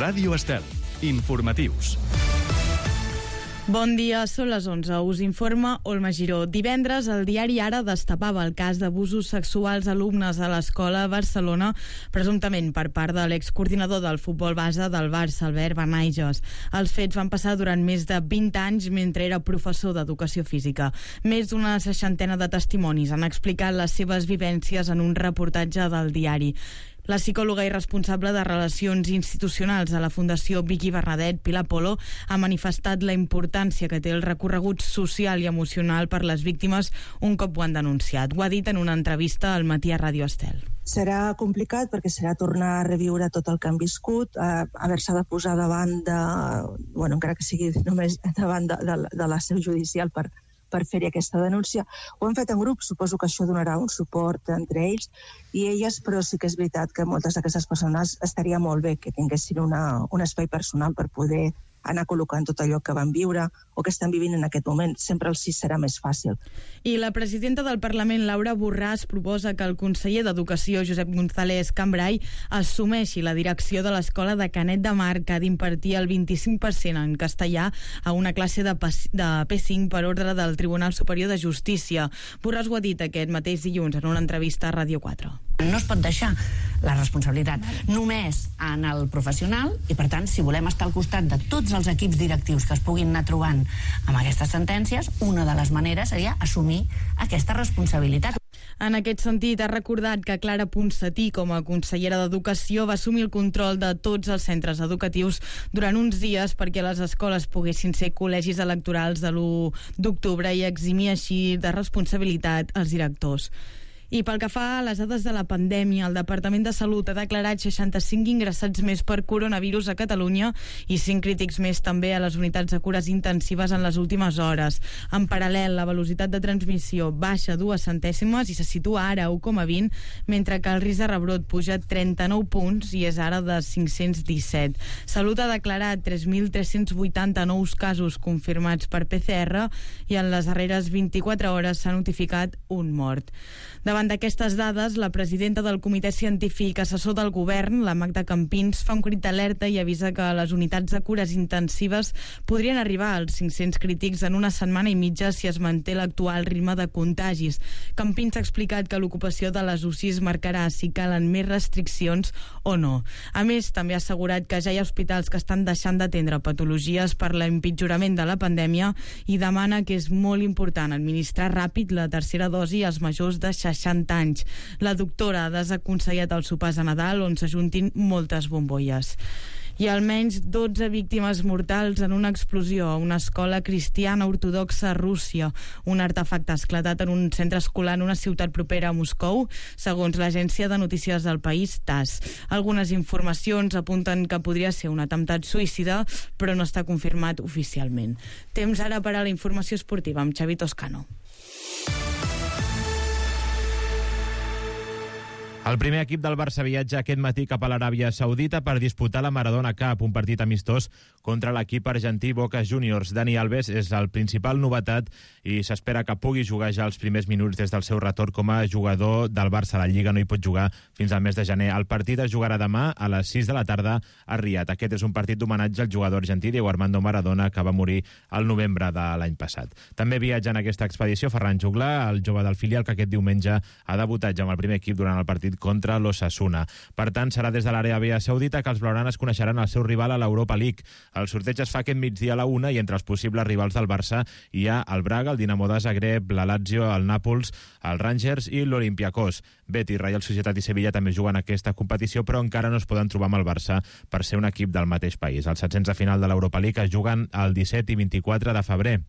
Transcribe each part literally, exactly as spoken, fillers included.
Ràdio Estel. Informatius. Bon dia, són les onze. Us informa Olma Giró. Divendres, el diari Ara destapava el cas d'abusos sexuals a alumnes a l'escola a Barcelona, presumptament per part de l'excoordinador del futbol base del Barça, Albert Benaiges. Els fets van passar durant més de vint anys mentre era professor d'educació física. Més d'una seixantena de testimonis han explicat les seves vivències en un reportatge del diari. La psicòloga i responsable de Relacions Institucionals a la Fundació Vicky Bernadet, Pilar Polo, ha manifestat la importància que té el recorregut social i emocional per les víctimes un cop ho han denunciat. Ho ha dit en una entrevista al Matí a Ràdio Estel. Serà complicat perquè serà tornar a reviure tot el que han viscut, eh, haver-se de posar davant de, bueno, encara que sigui només davant de, de, de la seu judicial per per fer-hi aquesta denúncia. Ho hem fet en grup, suposo que això donarà un suport entre ells i elles, però sí que és veritat que moltes d'aquestes persones estaria molt bé que tinguessin una, un espai personal per poder anar col·locant tot allò que van viure o que estan vivint en aquest moment. Sempre el sí serà més fàcil. I la presidenta del Parlament, Laura Borràs, proposa que el conseller d'Educació, Josep González Cambray, assumeixi la direcció de l'escola de Canet de Mar, que ha d'impartir el vint-i-cinc per cent en castellà a una classe de P cinc per ordre del Tribunal Superior de Justícia. Borràs ho ha dit aquest mateix dilluns en una entrevista a Ràdio quatre. No es pot deixar la responsabilitat només en el professional i, per tant, si volem estar al costat de tots els equips directius que es puguin anar trobant amb aquestes sentències, una de les maneres seria assumir aquesta responsabilitat. En aquest sentit, ha recordat que Clara Ponsatí, com a consellera d'Educació, va assumir el control de tots els centres educatius durant uns dies perquè les escoles poguessin ser col·legis electorals de l'u d'octubre i eximir així de responsabilitat els directors. I pel que fa a les dades de la pandèmia, el Departament de Salut ha declarat seixanta-cinc ingressats més per coronavirus a Catalunya i cinc crítics més també a les unitats de cures intensives en les últimes hores. En paral·lel, la velocitat de transmissió baixa dues centèsimes i se situa ara a u coma vint, mentre que el risc de rebrot puja trenta-nou punts i és ara de cinc-cents disset. Salut ha declarat tres mil tres-cents vuitanta nous casos confirmats per P C R i en les darreres vint-i-quatre hores s'ha notificat un mort. Davant d'aquestes dades, la presidenta del Comitè Científic Assessor del Govern, la Magda Campins, fa un crit d'alerta i avisa que les unitats de cures intensives podrien arribar als cinc-cents crítics en una setmana i mitja si es manté l'actual ritme de contagis. Campins ha explicat que l'ocupació de les U C Is marcarà si calen més restriccions o no. A més, també ha assegurat que ja hi ha hospitals que estan deixant d'atendre patologies per l'empitjorament de la pandèmia i demana que és molt important administrar ràpid la tercera dosi als majors de seixanta anys. La doctora ha desaconsellat els sopars a Nadal on s'ajuntin moltes bombolles. I almenys dotze víctimes mortals en una explosió a una escola cristiana ortodoxa a Rússia. Un artefacte ha esclatat en un centre escolar en una ciutat propera a Moscou, segons l'agència de notícies del país TASS. Algunes informacions apunten que podria ser un atemptat suïcida, però no està confirmat oficialment. Temps ara per a la informació esportiva amb Xavi Toscano. El primer equip del Barça viatja aquest matí cap a l'Aràbia Saudita per disputar la Maradona Cup, un partit amistós contra l'equip argentí Boca Juniors. Dani Alves és el principal novetat i s'espera que pugui jugar ja els primers minuts des del seu retorn com a jugador del Barça. La Lliga no hi pot jugar fins al mes de gener. El partit es jugarà demà a les sis de la tarda a Riad. Aquest és un partit d'homenatge al jugador argentí Diego Armando Maradona, que va morir al novembre de l'any passat. També viatja en aquesta expedició Ferran Juglar, el jove del filial que aquest diumenge ha debutat ja amb el primer equip durant el partit contra l'Osasuna. Per tant, serà des de l'Aràbia Saudita que els blaugranes coneixeran el seu rival a l'Europa League. El sorteig es fa aquest migdia a la una i entre els possibles rivals del Barça hi ha el Braga, el Dinamo de Zagreb, la Lazio, el Nàpols, el Rangers i l'Olympiacos. Betis, Reial Societat i Sevilla també juguen aquesta competició, però encara no es poden trobar amb el Barça per ser un equip del mateix país. Els setzents de final de l'Europa League es juguen el disset i vint-i-quatre de febrer.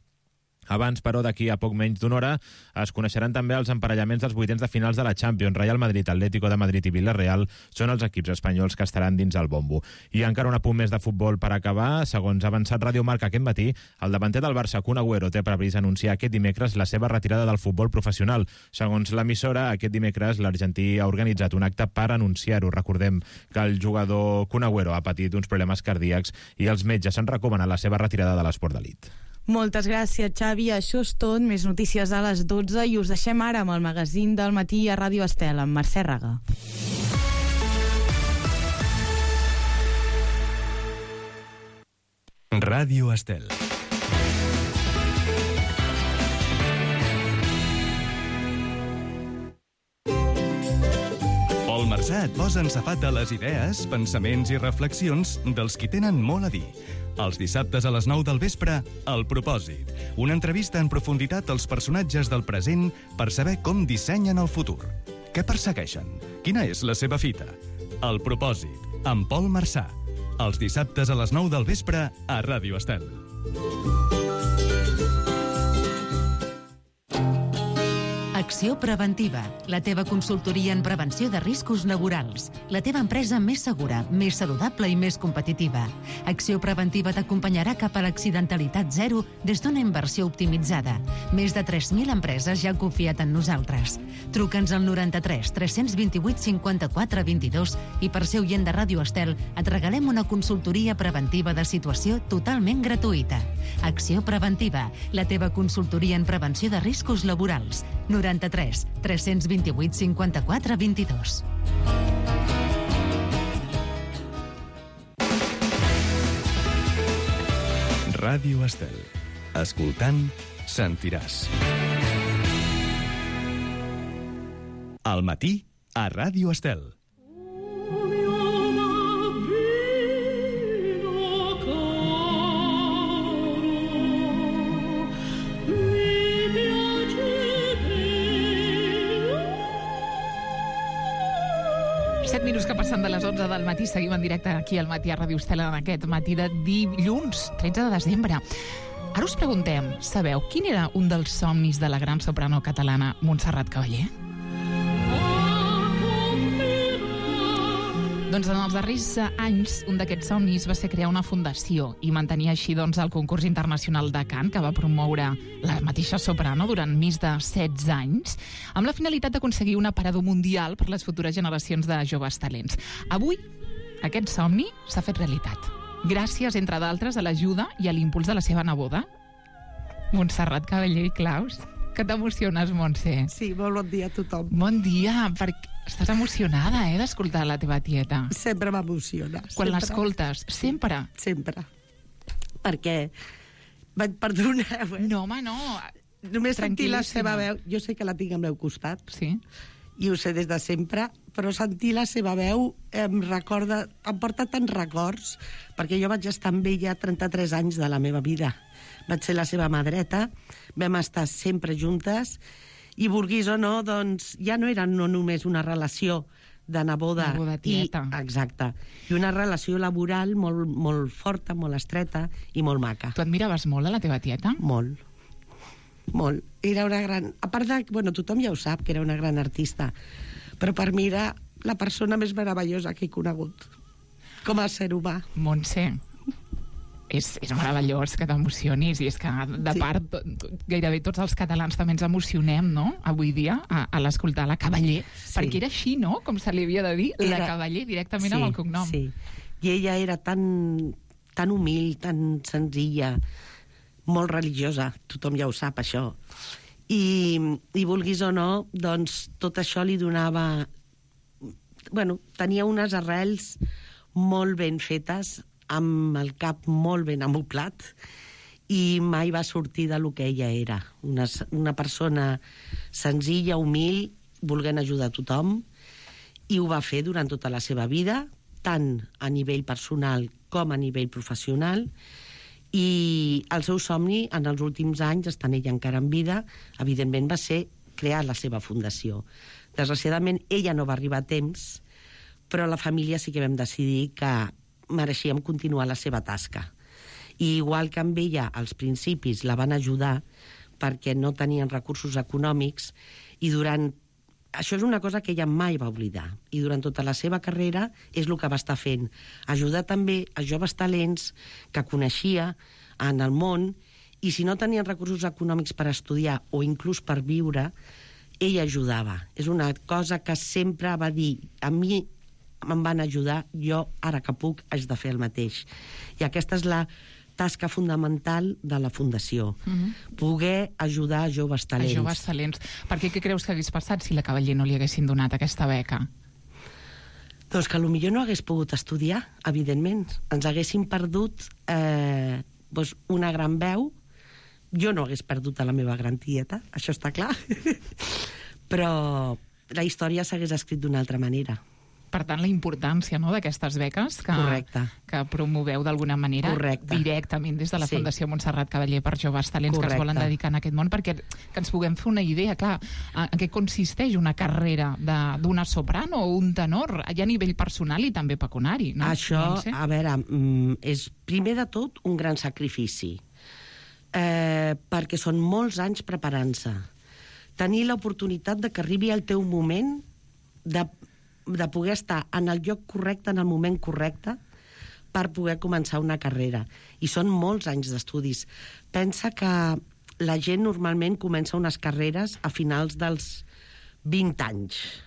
Abans, però, d'aquí a poc menys d'una hora, es coneixeran també els emparellaments dels vuitens de finals de la Champions. Real Madrid, Atlético de Madrid i Villarreal són els equips espanyols que estaran dins el bombo. I encara un apunt més de futbol per acabar. Segons ha avançat Radio Marca aquest matí, el davanter del Barça, Kun Agüero, té previst anunciar aquest dimecres la seva retirada del futbol professional. Segons l'emissora, aquest dimecres l'argentí ha organitzat un acte per anunciar-ho. Recordem que el jugador Kun Agüero ha patit uns problemes cardíacs i els metges han recomanat la seva retirada de l'esport d'elit. Moltes gràcies, Xavi. Això és tot. Més notícies a les dotze i us deixem ara amb el magazín del matí a Ràdio Estel, amb Mercè Raga. Ràdio Estel. Pol Marsà et posa en safata les idees, pensaments i reflexions dels qui tenen molt a dir. Els dissabtes a les nou del vespre, El Propòsit. Una entrevista en profunditat als personatges del present per saber com dissenyen el futur. Què persegueixen? Quina és la seva fita? El Propòsit, amb Pol Marsà. Els dissabtes a les nou del vespre a Ràdio Estel. Acció Preventiva, la teva consultoria en prevenció de riscos laborals. La teva empresa més segura, més saludable i més competitiva. Acció Preventiva t'acompanyarà cap a l'accidentalitat zero des d'una inversió optimitzada. Més de tres mil empreses ja han confiat en nosaltres. Truca'ns al noranta-tres tres cents vint-i-vuit cinquanta-quatre vint-i-dos i per ser oient de Ràdio Estel et regalem una consultoria preventiva de situació totalment gratuïta. Acció Preventiva, la teva consultoria en prevenció de riscos laborals. noranta-tres tres cents vint-i-vuit cinquanta-quatre vint-i-dos. Ràdio Estel. Escoltant, sentiràs. Al matí, a Ràdio Estel. set minuts que passen de les onze del matí. Seguim en directe aquí al matí a Ràdio Estel en aquest matí de dilluns, tretze de desembre. Ara us preguntem, sabeu quin era un dels somnis de la gran soprano catalana Montserrat Caballé? Doncs en els darrers anys, un d'aquests somnis va ser crear una fundació i mantenir així doncs, el concurs internacional de cant que va promoure la mateixa soprano durant més de setze anys, amb la finalitat d'aconseguir un aparador mundial per les futures generacions de joves talents. Avui, aquest somni s'ha fet realitat. Gràcies, entre d'altres, a l'ajuda i a l'impuls de la seva neboda, Montserrat Caballé i Claus. Que t'emociones, Montse? Sí, molt bon dia a tothom. Bon dia, perquè estàs emocionada, eh, d'escoltar la teva tieta. Sempre m'emociona. Quan l'escoltes, sempre? Sempre. Perquè, perdoneu, eh? No, home, no. Només sentir la seva veu, jo sé que la tinc al meu costat, sí, i ho sé des de sempre, però sentir la seva veu em recorda, em porta tants records, perquè jo vaig estar amb ella trenta-tres anys de la meva vida. Vaig ser la seva mà dreta, vam estar sempre juntes, i vulguis o no, doncs ja no era no només una relació de neboda, neboda-tieta. I, exacte, i una relació laboral molt, molt forta, molt estreta i molt maca. Tu admiraves molt a la teva tieta? Molt, molt. Era una gran... A part de... Bueno, tothom ja ho sap, que era una gran artista, però per mi era la persona més meravellosa que he conegut, com a ser humà. Montse, és, és meravellós que t'emocionis, i és que, de sí. part, gairebé tots els catalans també ens emocionem, no?, avui dia, a, a l'escoltar la Caballé, sí. perquè era així, no?, com se li havia de dir, era... la Caballé, directament sí, amb el cognom. Sí, i ella era tan, tan humil, tan senzilla, molt religiosa, tothom ja ho sap, això. I, i vulguis o no, doncs tot això li donava... Bueno, tenia unes arrels molt ben fetes, amb el cap molt ben amoblat, i mai va sortir de lo que ella era. Una, una persona senzilla, humil, volent ajudar a tothom, i ho va fer durant tota la seva vida, tant a nivell personal com a nivell professional, i el seu somni en els últims anys, estant ella encara en vida, evidentment va ser crear la seva fundació. Desgraciadament, ella no va arribar a temps, però la família sí que vam decidir que mereixíem continuar la seva tasca. I igual que amb ella, als principis, la van ajudar perquè no tenien recursos econòmics, i durant... Això és una cosa que ella mai va oblidar, i durant tota la seva carrera és el que va estar fent. Ajudar també a joves talents que coneixia en el món, i si no tenien recursos econòmics per estudiar o inclús per viure, ella ajudava. És una cosa que sempre va dir, a mi me'n van ajudar, jo ara que puc haig de fer el mateix. I aquesta és la tasca fundamental de la Fundació, mm-hmm. poder ajudar a joves talents. A joves talents. Perquè què creus que hagués passat si la Caballé no li haguessin donat aquesta beca? Doncs que potser no hagués pogut estudiar, evidentment. Ens haguessin perdut eh, doncs, una gran veu. Jo no hagués perdut a la meva gran tieta, això està clar, però la història s'hagués escrit d'una altra manera. Per tant, la importància, no?, d'aquestes beques que, Correcte. que promoveu d'alguna manera Correcte. directament des de la Sí. Fundació Montserrat Cavaller per joves talents Correcte. que es volen dedicar en aquest món, perquè que ens puguem fer una idea, clar, en què consisteix una carrera d'una soprano o un tenor, ja a nivell personal i també pecuniari, no? Això, Montse? a veure, mm, és primer de tot un gran sacrifici, eh, perquè són molts anys preparant-se. Tenir l'oportunitat de que arribi el teu moment de de poder estar en el lloc correcte, en el moment correcte, per poder començar una carrera. I són molts anys d'estudis. Pensa que la gent normalment comença unes carreres a finals dels vint anys.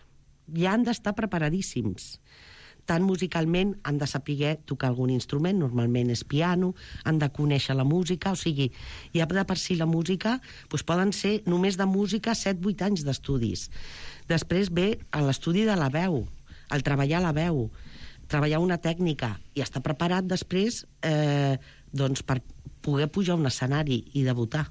Ja han d'estar preparadíssims. Tant musicalment han de saber tocar algun instrument, normalment és piano, han de conèixer la música, o sigui, ja de per si la música doncs poden ser només de música set vuit anys d'estudis. Després ve l'estudi de la veu, el treballar la veu, treballar una tècnica i estar preparat després eh, doncs per poder pujar a un escenari i debutar.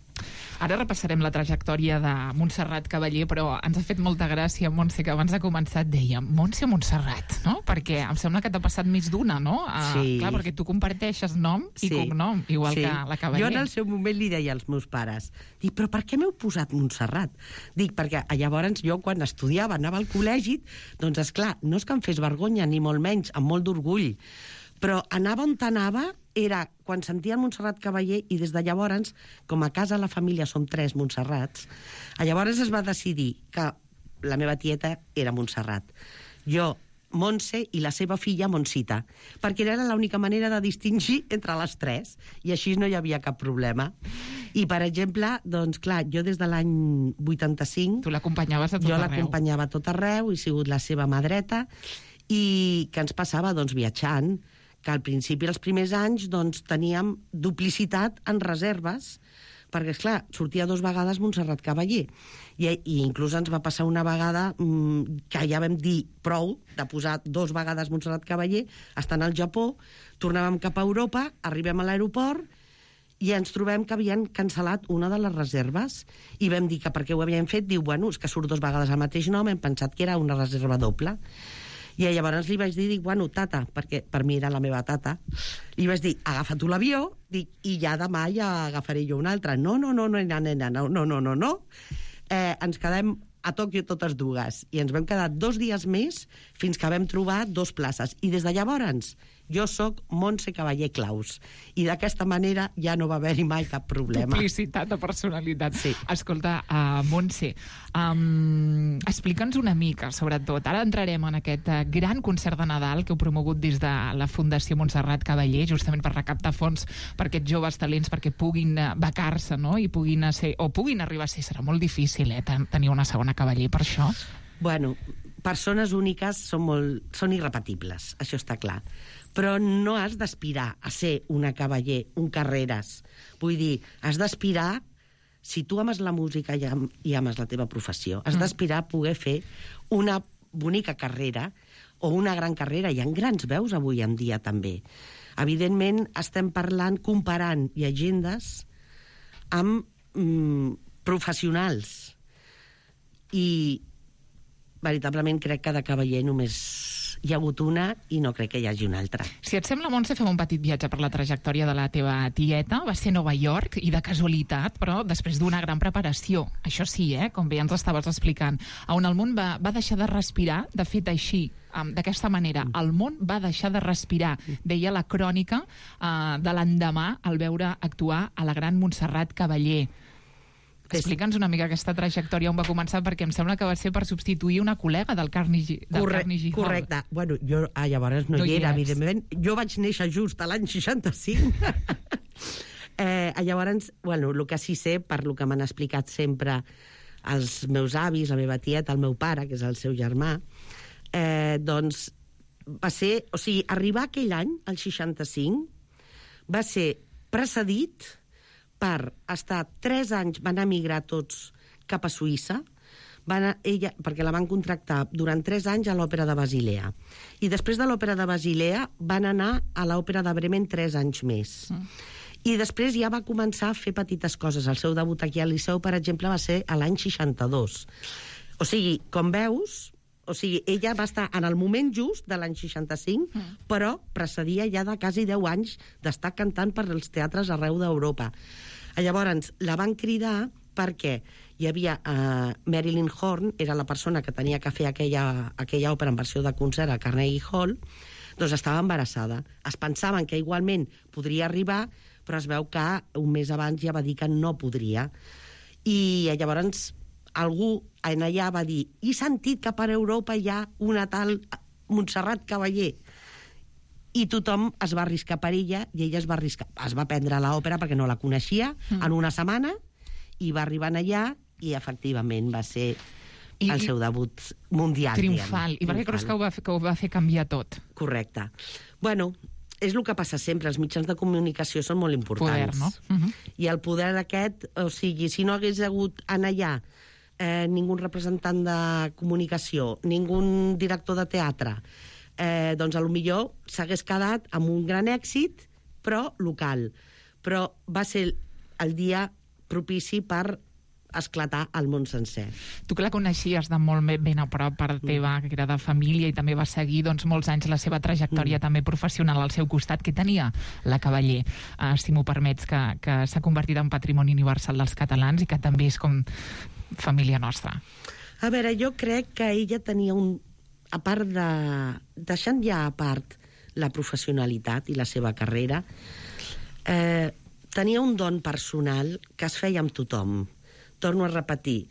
Ara repassarem la trajectòria de Montserrat Cavaller, però ens ha fet molta gràcia, Montse, que abans de començar et deia Montse Montserrat, no? Perquè em sembla que t'ha passat més d'una, no? Uh, Sí. Clar, perquè tu comparteixes nom i Sí. cognom, igual Sí. que la Cavaller. Jo en el seu moment li deia als meus pares, dic, però per què m'heu posat Montserrat? Dic, perquè llavors jo quan estudiava, anava al col·legi, doncs esclar, no és que em fes vergonya, ni molt menys, amb molt d'orgull, però anava on anava, era quan sentia el Montserrat Cavaller, i des de llavors, com a casa la família som tres Montserrats, llavors es va decidir que la meva tieta era Montserrat. Jo, Montse, i la seva filla Montsita, perquè era l'única manera de distingir entre les tres, i així no hi havia cap problema. I, per exemple, doncs, clar, jo des de l'any vuitanta-cinc... Tu l'acompanyaves a tot jo arreu. Jo l'acompanyava a tot arreu, he sigut la seva mà dreta, i què ens passava? Doncs viatjant, que al principi, els primers anys, doncs, teníem duplicitat en reserves, perquè, esclar, sortia dos vegades Montserrat Cavaller. I, i inclús ens va passar una vegada mmm, que ja vam dir prou de posar dos vegades Montserrat Cavaller, estant al Japó, tornàvem cap a Europa, arribem a l'aeroport i ens trobem que havien cancel·lat una de les reserves i vam dir que per què ho havien fet, diu, bueno, és que surt dos vegades el mateix nom, hem pensat que era una reserva doble. I llavors li vaig dir, dic, bueno, tata, perquè per mi era la meva tata, li vaig dir, agafa tu l'avió, dic, i ja demà ja agafaré jo un altre. No, no, no, no, nena, nena, no, no, no, no, no. Eh, ens quedem a Tòquio totes dues, i ens vam quedar dos dies més fins que vam trobar dos places. I des de llavors jo sóc Montse Cavaller Claus, i d'aquesta manera ja no va haver-hi mai cap problema. Duplicitat de personalitat. Sí. Escolta, uh, Montse, um, explica'ns una mica, sobretot. Ara entrarem en aquest uh, gran concert de Nadal que heu promogut des de la Fundació Montserrat Cavaller, justament per recaptar fons per aquests joves talents, perquè puguin uh, becar-se, no?, i puguin ser, o puguin arribar a ser, serà molt difícil, eh, tenir una segona Cavaller per això. Bueno, persones úniques són, molt, són irrepetibles, això està clar. Però no has d'aspirar a ser una Cavaller, un Carreras. Vull dir, has d'aspirar, si tu ames la música i, am, i ames la teva professió, has mm. d'aspirar a poder fer una bonica carrera o una gran carrera. Hi ha grans veus avui en dia, també. Evidentment, estem parlant, comparant llegendes amb mm, professionals. I veritablement crec que de Cavaller només hi ha hagut una i no crec que hi hagi una altra. Si et sembla, Montse, fem un petit viatge per la trajectòria de la teva tieta. Va ser a Nova York, i de casualitat, però després d'una gran preparació. Això sí, eh, com bé ens estaves explicant, on el món va, va deixar de respirar, de fet així, um, d'aquesta manera. El món va deixar de respirar, deia la crònica uh, de l'endemà al veure actuar a la gran Montserrat Cavaller. Explica'ns una mica aquesta trajectòria on va començar, perquè em sembla que va ser per substituir una col·lega del Carnegie, del Corre Carnegie Hall. Correcte. Bueno, jo ah, llavors no, No hi hi era, eres. evidentment. Jo vaig néixer just a l'any seixanta-cinc. eh, llavors, bueno, el que sí sé, per lo que m'han explicat sempre els meus avis, la meva tieta, el meu pare, que és el seu germà, eh, doncs va ser... O sigui, arribar aquell any, el seixanta-cinc, va ser precedit per estar tres anys, van emigrar tots cap a Suïssa, van a, ella, perquè la van contractar durant tres anys a l'Òpera de Basilea. I després de l'Òpera de Basilea van anar a l'Òpera de Bremen tres anys més. Mm. I després ja va començar a fer petites coses. El seu debut aquí al Liceu, per exemple, va ser a l'any seixanta-dos. O sigui, com veus, o sigui, ella va estar en el moment just de l'any seixanta-cinc, mm. però precedia ja de quasi deu anys d'estar cantant per als teatres arreu d'Europa. Llavors, la van cridar perquè hi havia uh, Marilyn Horne, era la persona que tenia que fer aquella, aquella òpera en versió de concert a Carnegie Hall, doncs estava embarassada. Es pensaven que igualment podria arribar, però es veu que un mes abans ja va dir que no podria. I llavors algú en allà va dir: he sentit que per Europa hi ha una tal Montserrat Caballé. I tothom es va arriscar per ella, i ella es va arriscar. Es va prendre l'òpera perquè no la coneixia, mm. en una setmana, i va arribar allà, i efectivament va ser I, el seu debut mundial. Triomfal. I perquè creus que ho, va fer, que ho va fer canviar tot? Correcte. Bueno, és el que passa sempre, els mitjans de comunicació són molt importants. Poder, no? Uh-huh. I el poder aquest, o sigui, si no hagués hagut en allà eh, ningú representant de comunicació, ningú director de teatre, eh, doncs a lo millor s'hagués quedat amb un gran èxit, però local. Però va ser el dia propici per esclatar al món sencer. Tu que la coneixies de molt ben a prop, part teva, que era de família, i també va seguir doncs, molts anys la seva trajectòria mm. també professional al seu costat. Què tenia la Caballé, uh, si m'ho permets, que, que s'ha convertit en patrimoni universal dels catalans i que també és com família nostra? A veure, jo crec que ella tenia un... A part de... Deixant ja a part la professionalitat i la seva carrera, eh, tenia un don personal que es feia amb tothom. Torno a repetir.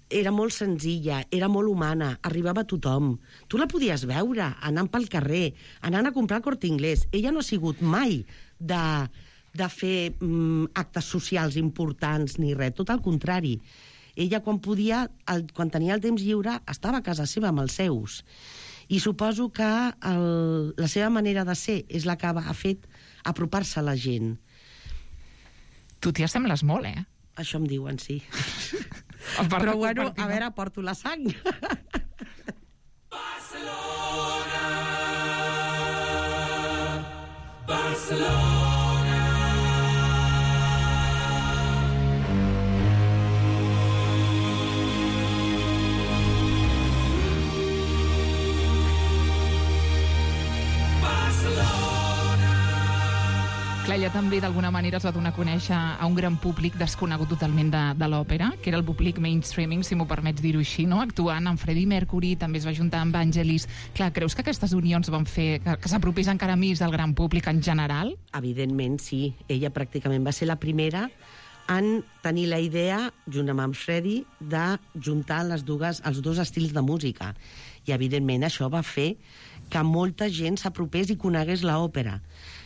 Era molt senzilla, era molt humana, arribava a tothom. Tu la podies veure anant pel carrer, anant a comprar al Corte Inglés. Ella no ha sigut mai de, de fer mm, actes socials importants ni res, tot al contrari. Ella, quan podia, el, quan tenia el temps lliure, estava a casa seva amb els seus. I suposo que el, la seva manera de ser és la que ha fet apropar-se a la gent. Tu t'hi assembles molt, eh? Això em diuen, sí. Però bueno, a veure, porto la sang. Barcelona, Barcelona. Clar, ella també d'alguna manera es va donar a conèixer a un gran públic desconegut totalment de, de l'òpera, que era el públic mainstreaming, si m'ho permets dir-ho així, no? Actuant amb Freddie Mercury, també es va juntar amb Vangelis. Clar, creus que aquestes unions van fer que, que s'apropés encara més al gran públic en general? Evidentment, sí. Ella pràcticament va ser la primera en tenir la idea, junt amb en Freddie, de juntar les dues, els dos estils de música. I, evidentment, això va fer que molta gent s'apropés i conegués l'òpera.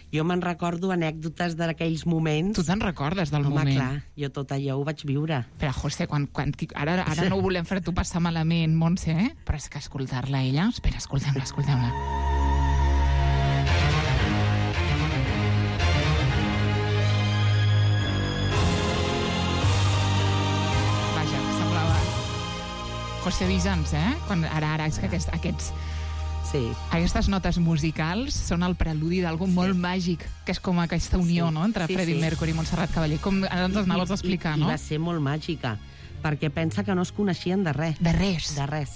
Jo me'n recordo anècdotes d'aquells moments. Tu te'n recordes del Home, moment? Home, clar, jo tot allò ho vaig viure. Però, José, quan, quan, ara, ara no ho volem fer tu passar malament, Montse, eh? Però és que escoltar-la ella... Espera, escoltem-la, escoltem-la. Vaja, semblava... José Vigans, eh? Quan, ara, ara, és que aquests... aquests Sí. Aquestes notes musicals són el preludi d'algú sí. molt màgic, que és com aquesta unió, sí. no?, entre sí, Freddie sí. Mercury i Montserrat Caballé. Com ara ens anaves a explicar, I, no? I va ser molt màgica, perquè pensa que no es coneixien de res. De res. De res.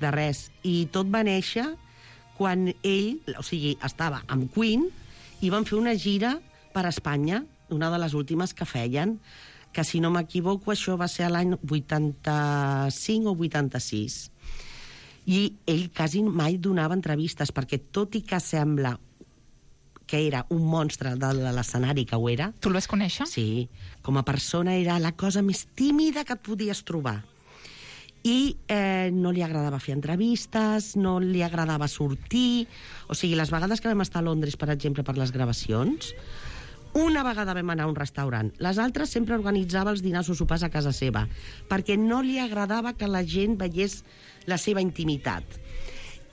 De res. I tot va néixer quan ell, o sigui, estava amb Queen i van fer una gira per Espanya, una de les últimes que feien, que si no m'equivoco això va ser l'any vuitanta-cinc o vuitanta-sis. I ell quasi mai donava entrevistes, perquè tot i que sembla que era un monstre de l'escenari, que ho era... Tu el vas conèixer? Sí. Com a persona era la cosa més tímida que et podies trobar. I eh, no li agradava fer entrevistes, no li agradava sortir... O sigui, les vegades que vam estar a Londres, per exemple, per les gravacions, una vegada vam anar a un restaurant. Les altres sempre organitzava els dinars o sopars a casa seva, perquè no li agradava que la gent veiés la seva intimitat.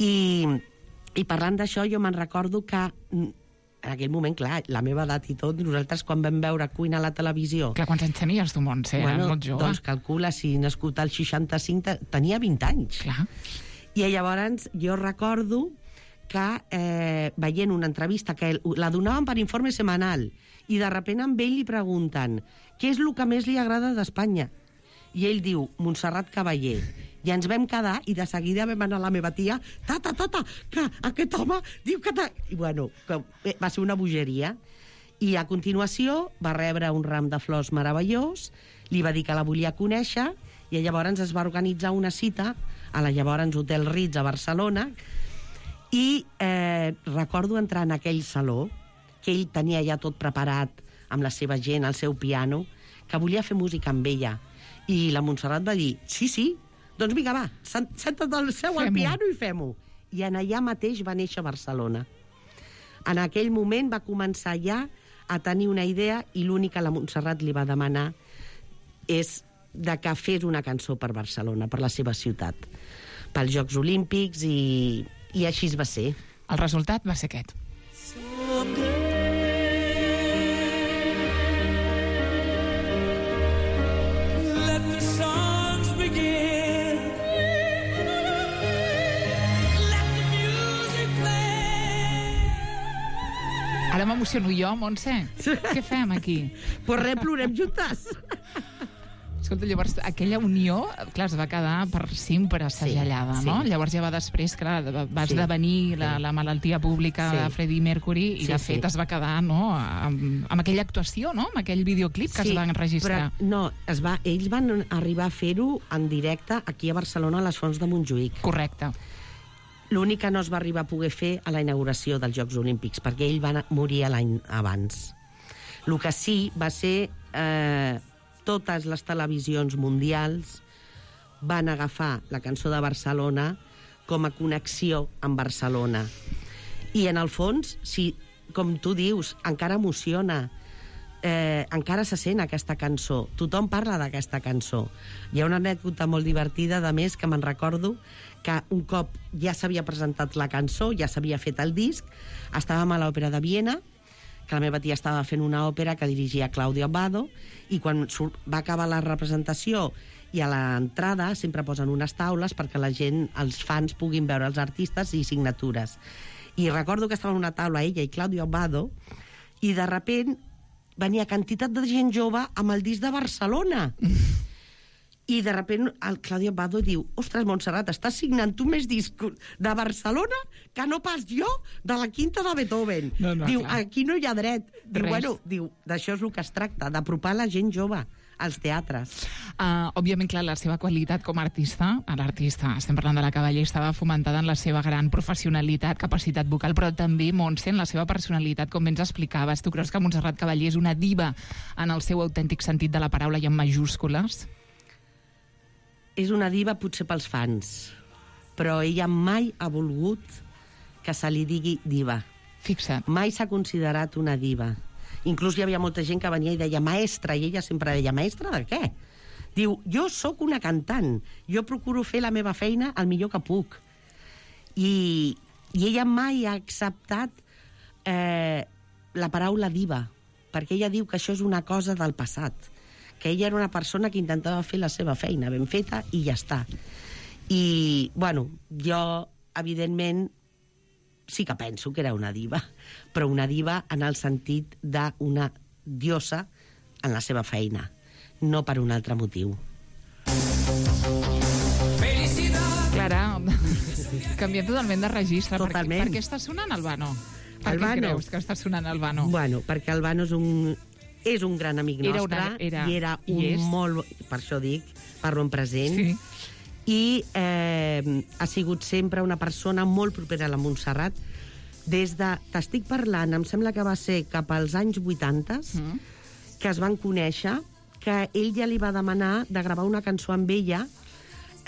I, i parlant d'això, jo me'n recordo que en aquell moment, clar, la meva edat i tot, nosaltres quan vam veure Queen a la televisió... Clar, quants anys tenies tu, Montse? Bueno, molt jove. Doncs calcula, si nascut al seixanta-cinc, tenia vint anys. Clar. I llavors jo recordo que eh, veient una entrevista que la donaven per informe setmanal i de sobte amb ell li pregunten què és el que més li agrada d'Espanya? I ell diu, Montserrat Caballé. I ens vam quedar i de seguida vam anar a la meva tia, tata, tata, que aquest home diu que... I bueno, que va ser una bogeria. I a continuació va rebre un ram de flors meravellós, li va dir que la volia conèixer i llavors es va organitzar una cita a la llavors Hotel Ritz a Barcelona i eh, recordo entrar en aquell saló que ell tenia ja tot preparat amb la seva gent, el seu piano, que volia fer música amb ella. I la Montserrat va dir, sí, sí, doncs vinga, va, senta't al seu al piano i fem-ho. I en allà mateix va néixer Barcelona. En aquell moment va començar ja a tenir una idea i l'únic que la Montserrat li va demanar és de que fes una cançó per Barcelona, per la seva ciutat, pels Jocs Olímpics, i, i així es va ser. El resultat va ser aquest. Ara m'emociono jo, Montse. Què fem aquí? Pues res, plorem juntes. Escolta, llavors, aquella unió, clar, es va quedar per sempre segellada, sí, no? Sí. Llavors ja va després, clar, va esdevenir sí, la, la malaltia pública sí. de Freddie Mercury i, sí, de fet, sí. es va quedar, no?, amb, amb aquella actuació, no?, amb aquell videoclip que sí, es va enregistrar. Però, no, es va, ells van arribar a fer-ho en directe aquí a Barcelona, a les Fonts de Montjuïc. Correcte. L'únic que no es va arribar a poder fer a la inauguració dels Jocs Olímpics, perquè ell va morir l'any abans. El que sí va ser... Eh, totes les televisions mundials van agafar la cançó de Barcelona com a connexió amb Barcelona. I en el fons, si, com tu dius, encara emociona, eh, encara se sent aquesta cançó. Tothom parla d'aquesta cançó. Hi ha una anècdota molt divertida, de més, que me'n recordo, que un cop ja s'havia presentat la cançó, ja s'havia fet el disc, estàvem a l'Òpera de Viena, que la meva tia estava fent una òpera que dirigia Claudio Abbado, i quan va acabar la representació i a l'entrada sempre posen unes taules perquè la gent, els fans, puguin veure els artistes i signatures. I recordo que estava en una taula ella i Claudio Abbado, i de sobte venia quantitat de gent jove amb el disc de Barcelona. I de sobte el Claudio Abbado diu, ostres, Montserrat, estàs signant tu més discos de Barcelona que no pas jo de la quinta de Beethoven. No, no, diu, clar. Aquí no hi ha dret. Diu, Res. bueno, diu, d'això és el que es tracta, d'apropar la gent jove als teatres. Uh, òbviament, clar, la seva qualitat com a artista, l'artista, estem parlant de la Caballé, estava fomentada en la seva gran professionalitat, capacitat vocal, però també, Montse, en la seva personalitat, com bé ens explicaves. Tu creus que Montserrat Caballé és una diva en el seu autèntic sentit de la paraula i en majúscules? És una diva potser pels fans, però ella mai ha volgut que se li digui diva. Fixa't. Mai s'ha considerat una diva. Inclús hi havia molta gent que venia i deia maestra, i ella sempre deia, maestra de què? Diu, jo sóc una cantant, jo procuro fer la meva feina el millor que puc. I, i ella mai ha acceptat eh, la paraula diva, perquè ella diu que això és una cosa del passat, que ella era una persona que intentava fer la seva feina ben feta i ja està. I, bueno, jo, evidentment, sí que penso que era una diva, però una diva en el sentit d'una diosa en la seva feina, no per un altre motiu. Clara, canviem totalment de registre. Totalment. Per, per què està sonant Albano? Per Albano. què creus que està sonant Albano? Bueno, perquè Albano és un... és un gran amic era nostre, una, era, i era un i molt... Per això dic, parlo en present. Sí. I eh, ha sigut sempre una persona molt propera a la Montserrat. Des de... T'estic parlant, em sembla que va ser cap als anys vuitanta, mm. que es van conèixer, que ell ja li va demanar de gravar una cançó amb ella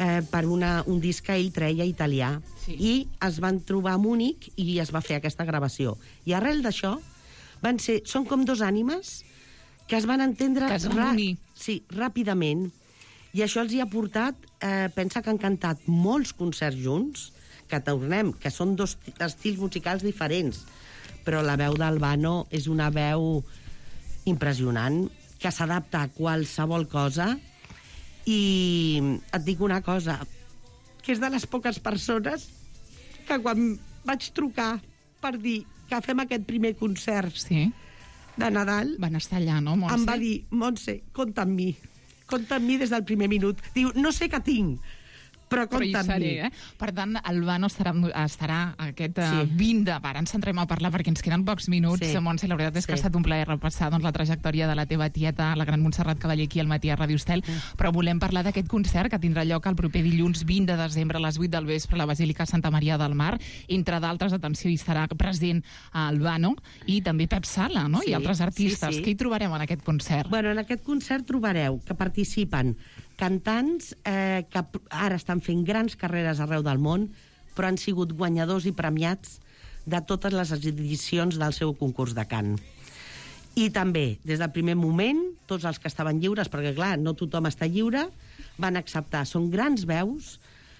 eh, per una, un disc que ell treia italià. Sí. I es van trobar a Múnich i es va fer aquesta gravació. I arrel d'això, van ser... Són com dos ànimes que es van entendre que es van unir. Sí, ràpidament. I això els hi ha portat, eh, pensa que han cantat molts concerts junts, que tornem, que són dos estils musicals diferents, però la veu d'Albano és una veu impressionant, que s'adapta a qualsevol cosa, i et dic una cosa, que és de les poques persones que quan vaig trucar per dir que fem aquest primer concert sí. de Nadal. Van estar allà, no, Montse? Em va dir, Montse, compta amb mi. Compta amb mi des del primer minut. Diu, no sé què tinc, però compta amb mi. Eh? Per tant, el Vano estarà, estarà aquest uh, Sí. vint de... Ara ens centrem a parlar perquè ens queden pocs minuts. Sí. Montse, la veritat és que Sí. ha estat un plaer repassar doncs, la trajectòria de la teva tieta, la gran Montserrat Cavaller, aquí al matí a Ràdio Estel, Mm. però volem parlar d'aquest concert que tindrà lloc el proper dilluns vint de desembre a les vuit del vespre a la Basílica Santa Maria del Mar. Entre d'altres, atenció, hi estarà present el Vano i també Pep Sala, no? Sí, I altres artistes. sí, sí. Què hi trobarem en aquest concert? Bueno, en aquest concert trobareu que participen cantants eh, que ara estan fent grans carreres arreu del món, però han sigut guanyadors i premiats de totes les edicions del seu concurs de cant. I també, des del primer moment, tots els que estaven lliures, perquè clar, no tothom està lliure, van acceptar. Són grans veus,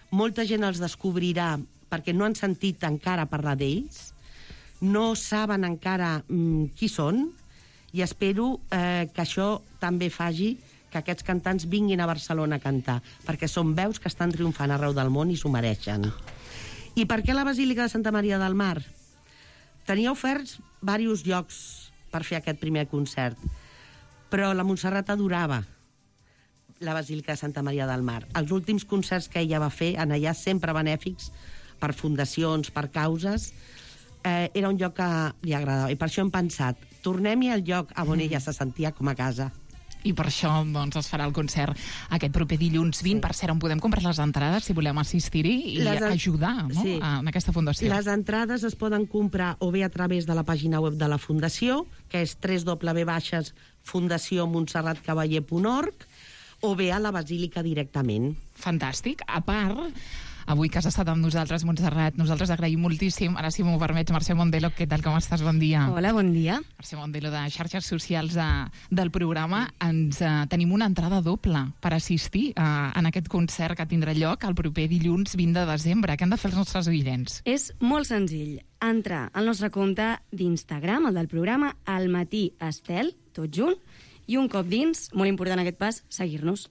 molta gent els descobrirà perquè no han sentit encara parlar d'ells, no saben encara mm, qui són, i espero eh, que això també faci que aquests cantants vinguin a Barcelona a cantar, perquè són veus que estan triomfant arreu del món i s'ho mereixen. I per què la Basílica de Santa Maria del Mar? Tenia oferts diversos llocs per fer aquest primer concert, però la Montserrat adorava la Basílica de Santa Maria del Mar. Els últims concerts que ella va fer, en allà sempre benèfics, per fundacions, per causes, eh, era un lloc que li agradava. I per això hem pensat, tornem-hi al lloc on ella se sentia com a casa. I per això doncs, es farà el concert aquest proper dilluns vint. Sí. Per cert, on podem comprar les entrades si volem assistir-hi i Les en... ajudar no? sí. en aquesta fundació. Les entrades es poden comprar o bé a través de la pàgina web de la Fundació, que és w w w punt fundació montserrat cavaller punt org, o bé a la Basílica directament. Fantàstic. A part, avui que has estat amb nosaltres, Montserrat, nosaltres agraïm moltíssim. Ara, si m'ho permets, Mercè Mondelo, què tal, com estàs? Bon dia. Hola, bon dia. Mercè Mondelo, de xarxes socials de, del programa. Ens eh, tenim una entrada doble per assistir eh, en aquest concert que tindrà lloc el proper dilluns vint de desembre. Què han de fer els nostres oients? És molt senzill. Entrar al nostre compte d'Instagram, el del programa, al matí Estel, tot junt, i un cop dins, molt important aquest pas, seguir-nos.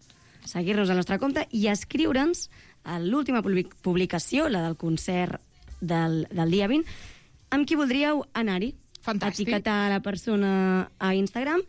Seguir-nos al nostre compte i escriure'ns a l'última publicació, la del concert del, del dia vint, amb qui voldríeu anar-hi. Fantàstic. Etiquetar la persona a Instagram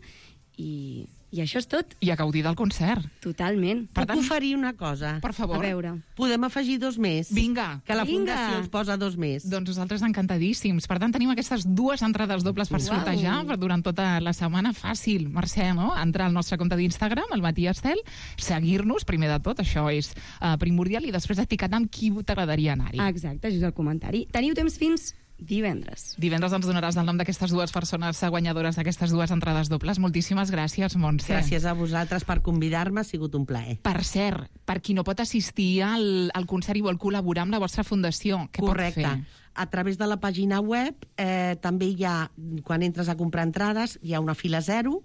i, i això és tot. I a gaudir del concert. Totalment. Per Puc tant, oferir una cosa? Per favor. A veure. Podem afegir dos més? Vinga. Que la Vinga. Fundació ens posa dos més. Doncs nosaltres encantadíssims. Per tant, tenim aquestes dues entrades dobles per Uau. sortejar per durant tota la setmana. Fàcil, Mercè, no? Entrar al nostre compte d'Instagram, el Matí Estel, seguir-nos, primer de tot, això és uh, primordial, i després etiquetar amb qui t'agradaria anar-hi. Exacte, això és el comentari. Teniu temps fins divendres. Divendres ens donaràs el nom d'aquestes dues persones guanyadores d'aquestes dues entrades dobles. Moltíssimes gràcies, Montse. Gràcies a vosaltres per convidar-me, ha sigut un plaer. Per cert, per qui no pot assistir al, al concert i vol col·laborar amb la vostra fundació, què Correcte. pot fer? A través de la pàgina web eh, també hi ha, quan entres a comprar entrades, hi ha una fila zero,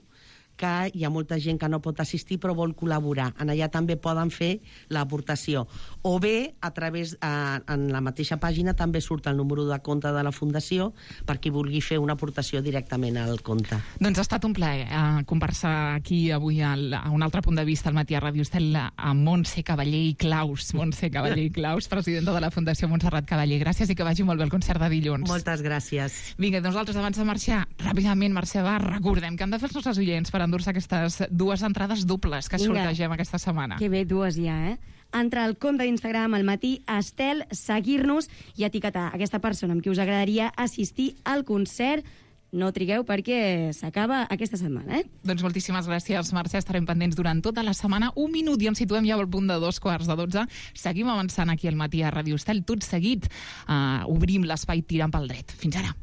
que hi ha molta gent que no pot assistir però vol col·laborar. En allà també poden fer l'aportació. O bé, a través, eh, en la mateixa pàgina també surt el número de compte de la Fundació per qui vulgui fer una aportació directament al compte. Doncs ha estat un plaer eh, conversar aquí avui al, a un altre punt de vista al matí a Ràdio Estel amb Montse Cavaller i Claus. Montse Cavaller i Claus, presidenta de la Fundació Montserrat Cavaller. Gràcies i que vagi molt bé el concert de dilluns. Moltes gràcies. Vinga, nosaltres abans de marxar, ràpidament, Mercè, va, recordem que han de fer els nostres oients per endur-se aquestes dues entrades dobles que Vinga. sortegem aquesta setmana. Que bé, dues ja, eh? Entrar al compte d'Instagram al matí Estel, seguir-nos i etiquetar aquesta persona amb qui us agradaria assistir al concert. No trigueu perquè s'acaba aquesta setmana, eh? Doncs moltíssimes gràcies, Mercè. Estarem pendents durant tota la setmana. Un minut i ens situem ja al punt de dos quarts de dotze. Seguim avançant aquí al matí a Ràdio Estel. Tot seguit uh, obrim l'espai tirant pel dret. Fins ara.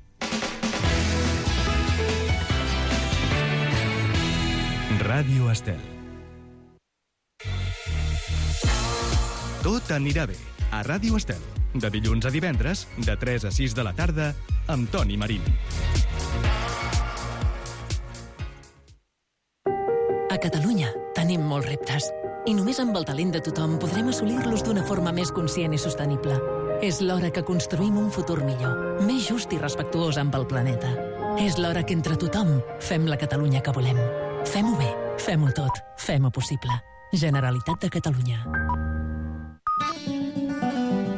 Ràdio Estel. Tot anirà bé a Ràdio Estel. De dilluns a divendres, de tres a sis de la tarda, amb Toni Marín. A Catalunya tenim molts reptes i només amb el talent de tothom podrem assolir-los d'una forma més conscient i sostenible. És l'hora que construïm un futur millor, més just i respectuós amb el planeta. És l'hora que entre tothom fem la Catalunya que volem. Fem-ho bé, fem-ho tot, fem-ho possible. Generalitat de Catalunya.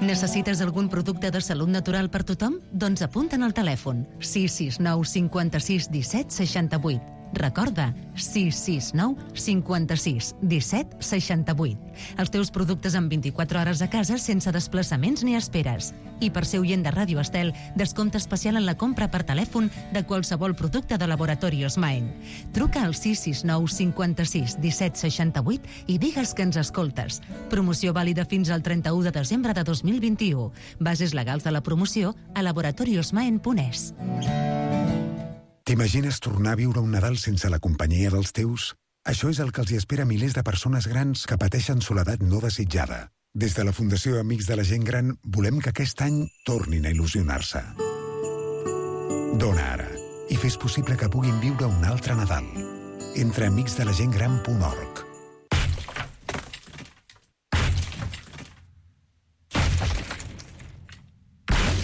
Necessites algun producte de salut natural per tothom? Doncs apunta'n al telèfon sis sis nou cinquanta-sis disset seixanta-vuit. Recorda, sis sis nou cinquanta-sis disset seixanta-vuit. Els teus productes en vint-i-quatre hores a casa sense desplaçaments ni esperes. I per ser oient de Ràdio Estel, descompte especial en la compra per telèfon de qualsevol producte de Laboratorios Maen. Truca al sis sis nou cinquanta-sis disset seixanta-vuit i digues que ens escoltes. Promoció vàlida fins al trenta-u de desembre de dos mil vint-i-u. Bases legals de la promoció a laboratoriosmaen punt es. T'imagines tornar a viure un Nadal sense la companyia dels teus? Això és el que els hi espera a milers de persones grans que pateixen soledat no desitjada. Des de la Fundació Amics de la Gent Gran volem que aquest any tornin a il·lusionar-se. Dona ara i fes possible que puguin viure un altre Nadal. Entra a amics de la gent gran punt org.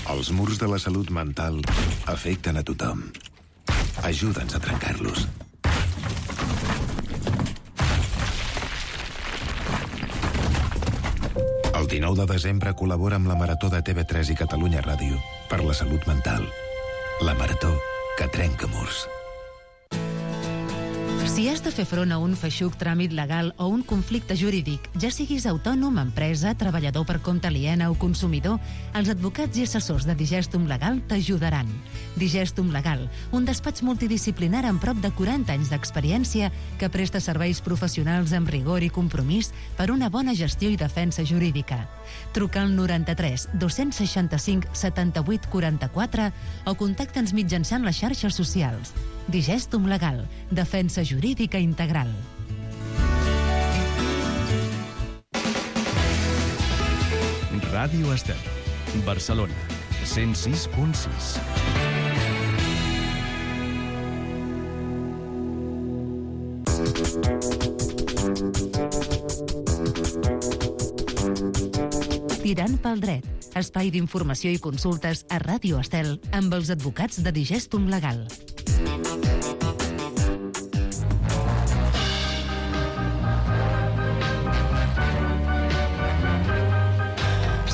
Els murs de la salut mental afecten a tothom. Ajuda'ns a trencar-los. El dinou de desembre col·labora amb la Marató de T V tres i Catalunya Ràdio per la salut mental. La Marató que trenca murs. Si has de fer front a un feixuc tràmit legal o un conflicte jurídic, ja siguis autònom, empresa, treballador per compte aliena o consumidor, els advocats i assessors de Digestum Legal t'ajudaran. Digestum Legal, un despatx multidisciplinar amb prop de quaranta anys d'experiència que presta serveis professionals amb rigor i compromís per una bona gestió i defensa jurídica. Truca al noranta-tres dos-cents seixanta-cinc setanta-vuit quaranta-quatre o contacta'ns mitjançant les xarxes socials. Digestum Legal, defensa jurídica integral. Ràdio Estel, Barcelona, cent sis punt sis. Tirant pel dret, espai d'informació i consultes a Ràdio Estel amb els advocats de Digestum Legal.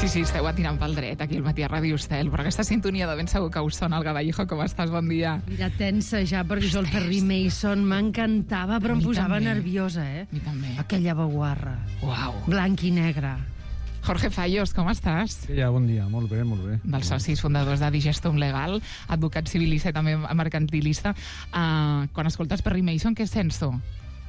Sí, sí, esteu a tirant pel dret aquí al matí a Ràdio Estel, però aquesta sintonia de ben segur que us sona el Gavallejo. Com estàs? Bon dia. Mira, tensa ja, perquè jo el Perry Mason m'encantava, però em posava també. nerviosa, eh? Mi també. Aquella baguarra. Uau. Blanc i negre. Jorge Fallos, com estàs? Ja, bon dia, molt bé, molt bé. Dels socis fundadors de Digestum Legal, advocat civilista i també mercantilista. Uh, quan escoltes Perry Mason, què sents tu?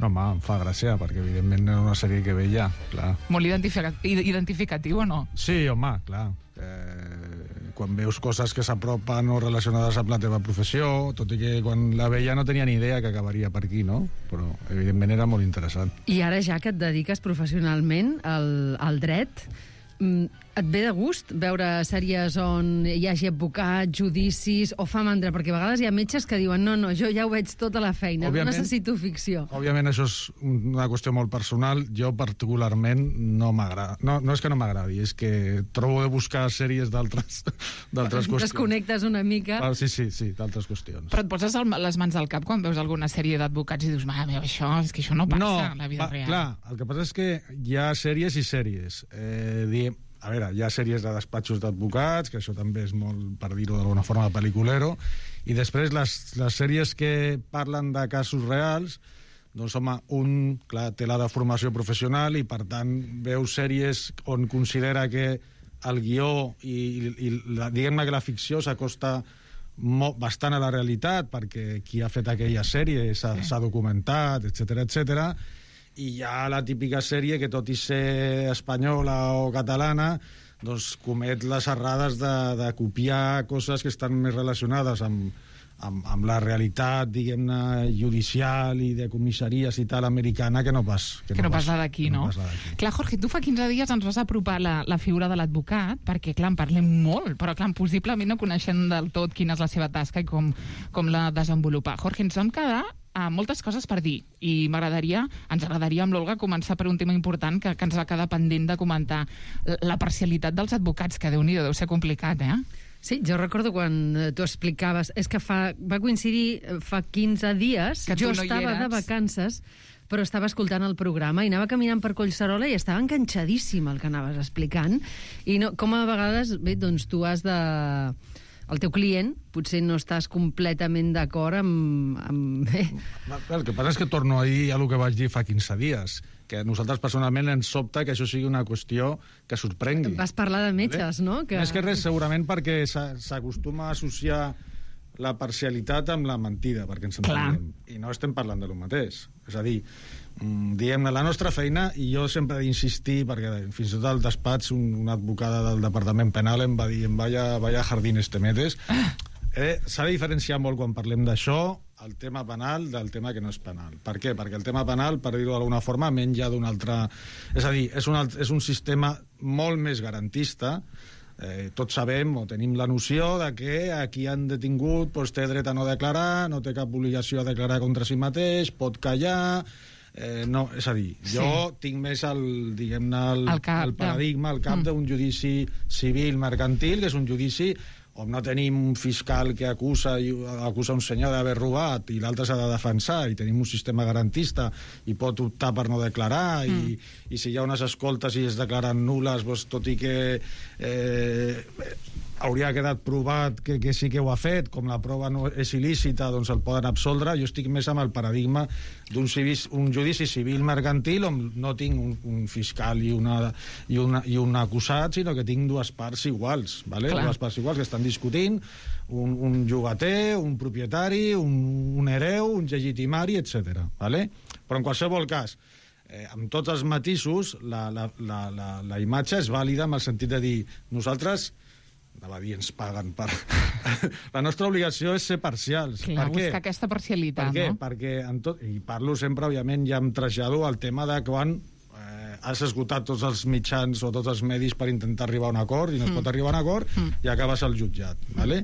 No, home, em fa gràcia, perquè evidentment era una sèrie que veia, clar. Molt identifica identificatiu o no? Sí, home, clar. Eh, quan veus coses que s'apropen o relacionades amb la teva professió, tot i que quan la veia no tenia ni idea que acabaria per aquí, no? Però evidentment era molt interessant. I ara ja que et dediques professionalment al, al dret, et ve de gust veure sèries on hi hagi advocats, judicis, o fa mandra? Perquè a vegades hi ha metges que diuen no, no, jo ja ho veig tota la feina, òbviament, no necessito ficció. Òbviament això és una qüestió molt personal. Jo particularment no m'agrada. No, no és que no m'agradi, és que trobo de buscar sèries d'altres qüestions. Desconnectes una mica. Ah, sí, sí, sí, d'altres qüestions. Però et poses les mans al cap quan veus alguna sèrie d'advocats i dius, mare meva, això, és que això no passa no, a la vida pa, real. Clar, el que passa és que hi ha sèries i sèries. Eh, diem, a veure, hi ha sèries de despatxos d'advocats, que això també és molt, per dir-ho d'alguna forma, de pel·liculero, i després les, les sèries que parlen de casos reals, doncs, home, un, clar, té la de formació professional i, per tant, veu sèries on considera que el guió i, i la, diguem-ne que la ficció s'acosta bastant a la realitat, perquè qui ha fet aquella sèrie s'ha sí. documentat, etcètera, etcètera. I hi ha la típica sèrie que, tot i ser espanyola o catalana, doncs comet les errades de, de copiar coses que estan més relacionades amb, amb, amb la realitat, diguem-ne, judicial i de comissaries i tal americana, que no pas... Que, que no, no pas la d'aquí, no? no? Clar, Jorge, tu fa quinze dies ens vas apropar la, la figura de l'advocat, perquè, clar, en parlem molt, però, clar, possiblement no coneixem del tot quina és la seva tasca i com, com la desenvolupa. Jorge, ens vam quedar a moltes coses per dir, i m'agradaria, ens agradaria amb l'Olga començar per un tema important que, que ens va quedar pendent de comentar, la parcialitat dels advocats, que Déu-n'hi-do, deu ser complicat, eh? Sí, jo recordo quan tu explicaves... És que fa, va coincidir fa quinze dies, que jo no estava de vacances, però estava escoltant el programa i anava caminant per Collserola i estava enganxadíssim el que anaves explicant. I no, com a vegades, bé, doncs tu has de... El teu client potser no estàs completament d'acord amb... amb... El que passa és que torno a dir a el que vaig dir fa quinze dies, que a nosaltres personalment ens sobta que això sigui una qüestió que sorprengui. Vas parlar de metges, no? Que... Més que res, segurament perquè s'acostuma a associar la parcialitat amb la mentida, perquè ens entenem. I no estem parlant de lo mateix. És a dir, diguem-ne, la nostra feina, i jo sempre he d'insistir, perquè fins i tot al despatx un, una advocada del Departament Penal em va dir, vaya, vaya jardines te metes. Eh, S'ha de diferenciar molt quan parlem d'això, el tema penal del tema que no és penal. Per què? Perquè el tema penal, per dir-ho d'alguna forma, menja d'un altre... És a dir, és un, alt... és un sistema molt més garantista. Eh, tots sabem o tenim la noció de que a qui han detingut doncs, té dret a no declarar, no té cap obligació a declarar contra si mateix, pot callar... Eh, no, és a dir, jo sí. tinc més el, diguem-ne, el, el, cap, el paradigma, el cap mm. d'un judici civil mercantil, que és un judici on no tenim un fiscal que acusa, acusa un senyor d'haver robat i l'altre s'ha de defensar, i tenim un sistema garantista i pot optar per no declarar, mm. i, i si hi ha unes escoltes i es declaren nules, doncs, tot i que eh, hauria quedat provat que, que sí que ho ha fet, com la prova no és il·lícita, doncs el poden absoldre. Jo estic més amb el paradigma d'un un judici civil mercantil on no tinc un, un fiscal i, una, i, una, i un acusat, sinó que tinc dues parts iguals, ¿vale? dues parts iguals que estan discutint, un, un llogater, un propietari, un, un hereu, un legitimari, etcètera. ¿Vale? Però en qualsevol cas, eh, amb tots els matisos, la, la, la, la, la imatge és vàlida en el sentit de dir, nosaltres... anava a dir, ens paguen per... La nostra obligació és ser parcials. Clar, per buscar què? aquesta parcialitat, per què? no? Perquè, en tot... i parlo sempre, òbviament, ja em trasllado al tema de quan eh, has esgotat tots els mitjans o tots els medis per intentar arribar a un acord, i no es mm. pot arribar a un acord, mm. i acabes al jutjat, ¿vale?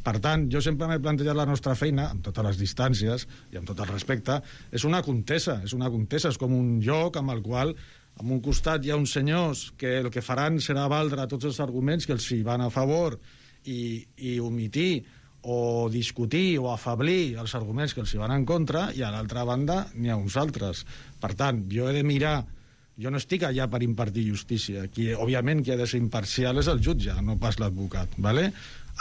Per tant, jo sempre m'he plantejat la nostra feina, amb totes les distàncies i amb tot el respecte, és una contesa, és una contesa, és com un joc amb el qual... En un costat hi ha uns senyors que el que faran serà valdre tots els arguments que els hi van a favor i, i omitir o discutir o afablir els arguments que els hi van en contra, i a l'altra banda n'hi ha uns altres. Per tant, jo he de mirar... Jo no estic allà per impartir justícia. Qui, òbviament, qui ha de ser imparcial és el jutge, no pas l'advocat. ¿Vale?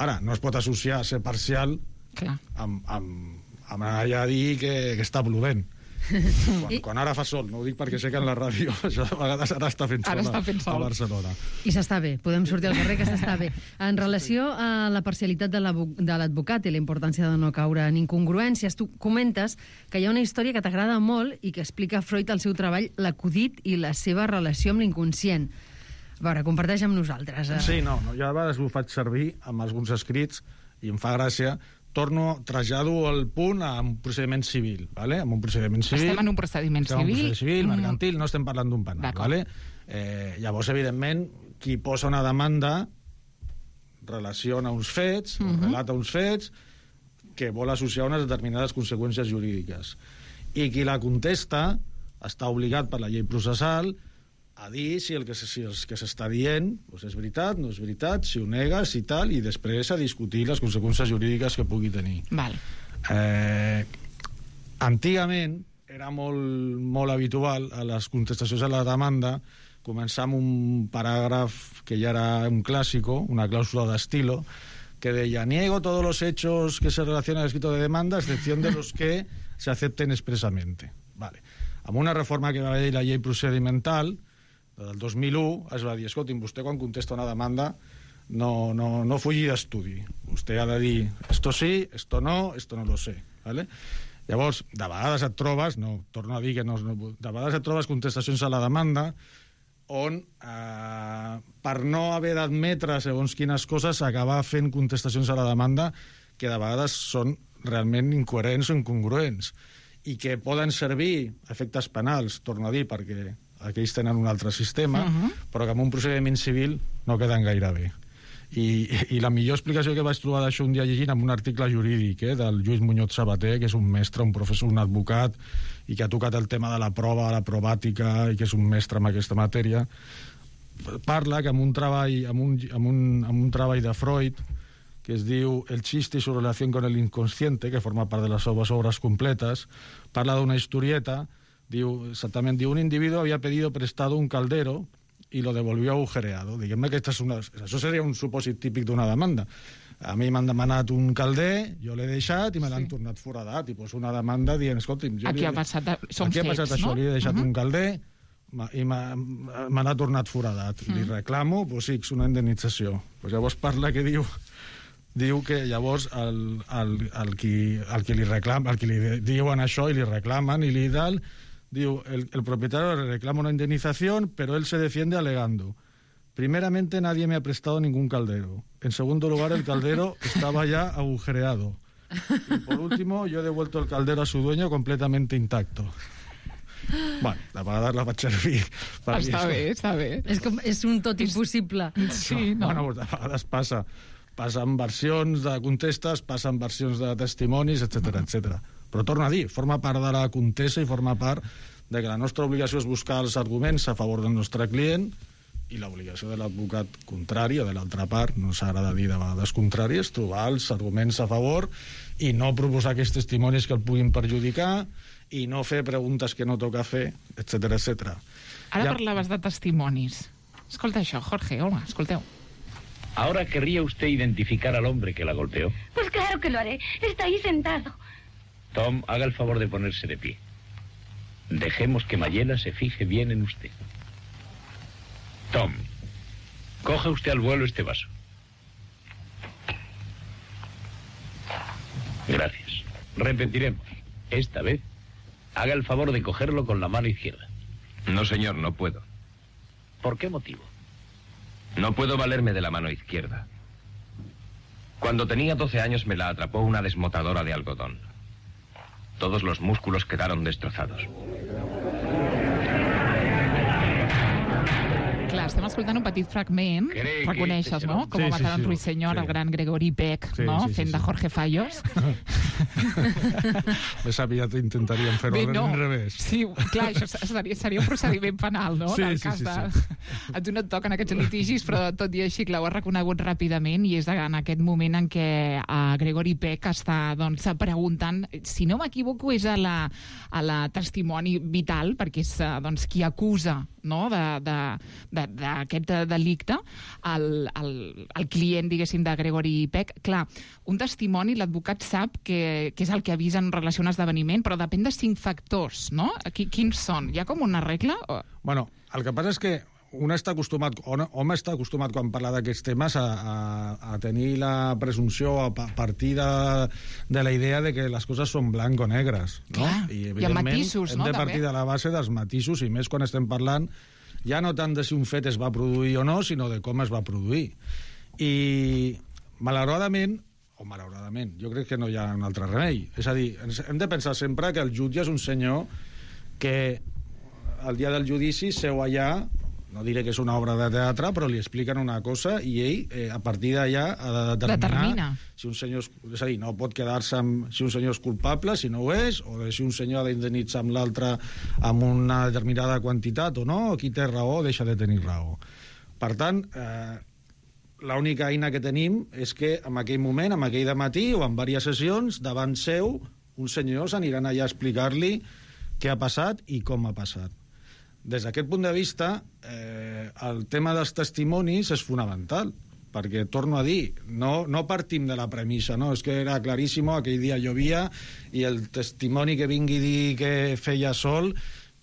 Ara, no es pot associar a ser parcial Clar. amb, amb, amb anar allà a dir que, que està plovent. Quan, quan ara fa sol, no ho dic perquè sé que en la ràdio això de vegades ara està fent sol, ara està fent sol. a Barcelona. I s'està bé, podem sortir al carrer que s'està bé. En relació a la parcialitat de l'advocat i la importància de no caure en incongruències, tu comentes que hi ha una història que t'agrada molt i que explica Freud al seu treball, l'acudit i la seva relació amb l'inconscient. A veure, comparteix amb nosaltres. Eh? Sí, no, no, jo a vegades ho faig servir amb alguns escrits i em fa gràcia. Torno, trasllado el punt a un procediment civil, ¿vale? Amb un procediment civil... Estem en un procediment estem civil... en un procediment civil, mercantil, no estem parlant d'un penal, ¿vale? Eh, llavors, evidentment, qui posa una demanda relaciona uns fets, uh -huh. relata uns fets, que vol associar unes determinades conseqüències jurídiques. I qui la contesta està obligat per la llei processal a dir si el que, si el que s'està dient doncs és veritat, no és veritat, si ho nega, si tal, i després a discutir les conseqüències jurídiques que pugui tenir. Val. Eh, antigament era molt, molt habitual a les contestacions a la demanda començar amb un paràgraf que ja era un clàssico, una clàusula d'estilo, que deia, niego todos los hechos que se relacionan al escrito de demanda, a excepción de los que se acepten expresamente. Vale. Amb una reforma que va haver la llei procedimental del dos mil u es va dir, escolti'm, vostè quan contesta una demanda no, no, no fugi d'estudi. Vostè ha de dir, esto sí, esto no, esto no lo sé. ¿Vale? Llavors, de vegades et trobes, no, torno a dir que no, no de vegades et trobes contestacions a la demanda on, eh, per no haver d'admetre segons quines coses, acabar fent contestacions a la demanda que de vegades són realment incoherents o incongruents i que poden servir a efectes penals, torno a dir, perquè aquells tenen un altre sistema, uh-huh. però que en un procediment civil no queden gaire bé. I, i la millor explicació que vaig trobar d'això un dia llegint en un article jurídic eh, del Lluís Muñoz Sabater, que és un mestre, un professor, un advocat, i que ha tocat el tema de la prova, la probàtica, i que és un mestre en aquesta matèria, parla que en un treball, en un, en un, en un treball de Freud que es diu El chiste y su relación con el inconsciente, que forma part de les seves obres completes. Parla d'una historieta, diu, exactament, diu, un individu havia pedido prestado un caldero y lo devolvió agujereado. Diguem-ne que és una, això seria un supòsit típic d'una demanda. A mi m'han demanat un calder, jo l'he deixat i me l'han sí. tornat foradat. I pues una demanda dient, escolti'm... Jo aquí li, ha passat, són aquí fets, ha passat això, no? li he deixat uh -huh. un calder i me l'ha tornat foradat. Uh -huh. Li reclamo, pues sí, és una indemnització. Pues llavors parla que diu... diu que llavors el, el, el, qui, el qui li reclama, el qui li diuen això i li reclamen i li dal, diu, el, el propietario le reclama una indemnización, pero él se defiende alegando. Primeramente, nadie me ha prestado ningún caldero. En segundo lugar, el caldero estaba ya agujereado. Y por último, yo he devuelto el caldero a su dueño completamente intacto. Bueno, la vegades la vaig servir. Està bé, està bé. És, com, és un tot impossible. Sí, no? Bueno, de vegades passa. Passen versions de contestes, passen versions de testimonis, etcètera, etcètera. Però torno a dir, forma part de la contesa i forma part de que la nostra obligació és buscar els arguments a favor del nostre client i l'obligació de l'advocat contrari o de l'altra part, no s'agrada dir de vegades contrari, és trobar els arguments a favor i no proposar aquests testimonis que el puguin perjudicar i no fer preguntes que no toca fer, etcètera, etcètera. Ara ja... parlaves de testimonis. Escolta això, Jorge, hola, escolteu. ¿Ahora querría usted identificar al hombre que la golpeó? Pues claro que lo haré. Está ahí sentado. Tom, haga el favor de ponerse de pie. Dejemos que Mayela se fije bien en usted. Tom, coja usted al vuelo este vaso. Gracias. Repetiremos. Esta vez, haga el favor de cogerlo con la mano izquierda. No, señor, no puedo. ¿Por qué motivo? No puedo valerme de la mano izquierda. Cuando tenía doce años me la atrapó una desmotadora de algodón. Todos los músculos quedaron destrozados. Clar, estem escoltant un petit fragment, Cree reconeixes, que... no? Com sí, a matar sí, en sí, Ruiseñor, sí. el gran Gregory Peck, sí, no? Sí, sí, Fent sí. de Jorge Fallos. Més aviat intentaríem fer-ho Bé, al no. revés. Sí, clar, això seria, seria un procediment penal, no? Sí, en el sí, cas sí, de... sí. A tu no et toquen aquests litigis, però tot i així, clar, ho has reconegut ràpidament i és en aquest moment en què uh, Gregory Peck està doncs, preguntant, si no m'equivoco, és a la, a la testimoni vital, perquè és uh, doncs, qui acusa, no?, d'aquest de, de, delicte, el, el, el client, diguéssim, de Gregory Peck. Clar, un testimoni, l'advocat sap que, que és el que avisa en relació a un esdeveniment, però depèn de cinc factors, no? Qui, quins són? Hi ha com una regla? O... Bueno, el que passa és que un està acostumat, home està acostumat quan parla d'aquests temes a, a, a tenir la presumpció a partir de, de la idea de que les coses són blanc o negres, no? Clar, I hi ha matisos, hem no? de partir també. de la base dels matisos, i més quan estem parlant ja no tant de si un fet es va produir o no, sinó de com es va produir. I malauradament, o malauradament, jo crec que no hi ha un altre remei. És a dir, hem de pensar sempre que el jutge és un senyor que el dia del judici seu allà, no diré que és una obra de teatre, però li expliquen una cosa i ell, eh, a partir d'allà, ha de determinar Determina. si un senyor... És, és a dir, no pot quedar-se amb si un senyor és culpable, si no ho és, o de si un senyor ha d'indemnitzar amb l'altre amb una determinada quantitat o no, o qui té raó o deixa de tenir raó. Per tant, eh, l'única eina que tenim és que en aquell moment, en aquell dematí o en diverses sessions, davant seu, uns senyors aniran allà a explicar-li què ha passat i com ha passat. Des d'aquest punt de vista, eh, el tema dels testimonis és fonamental, perquè, torno a dir, no, no partim de la premissa, no? És que era claríssim, aquell dia llovia, i el testimoni que vingui a dir que feia sol,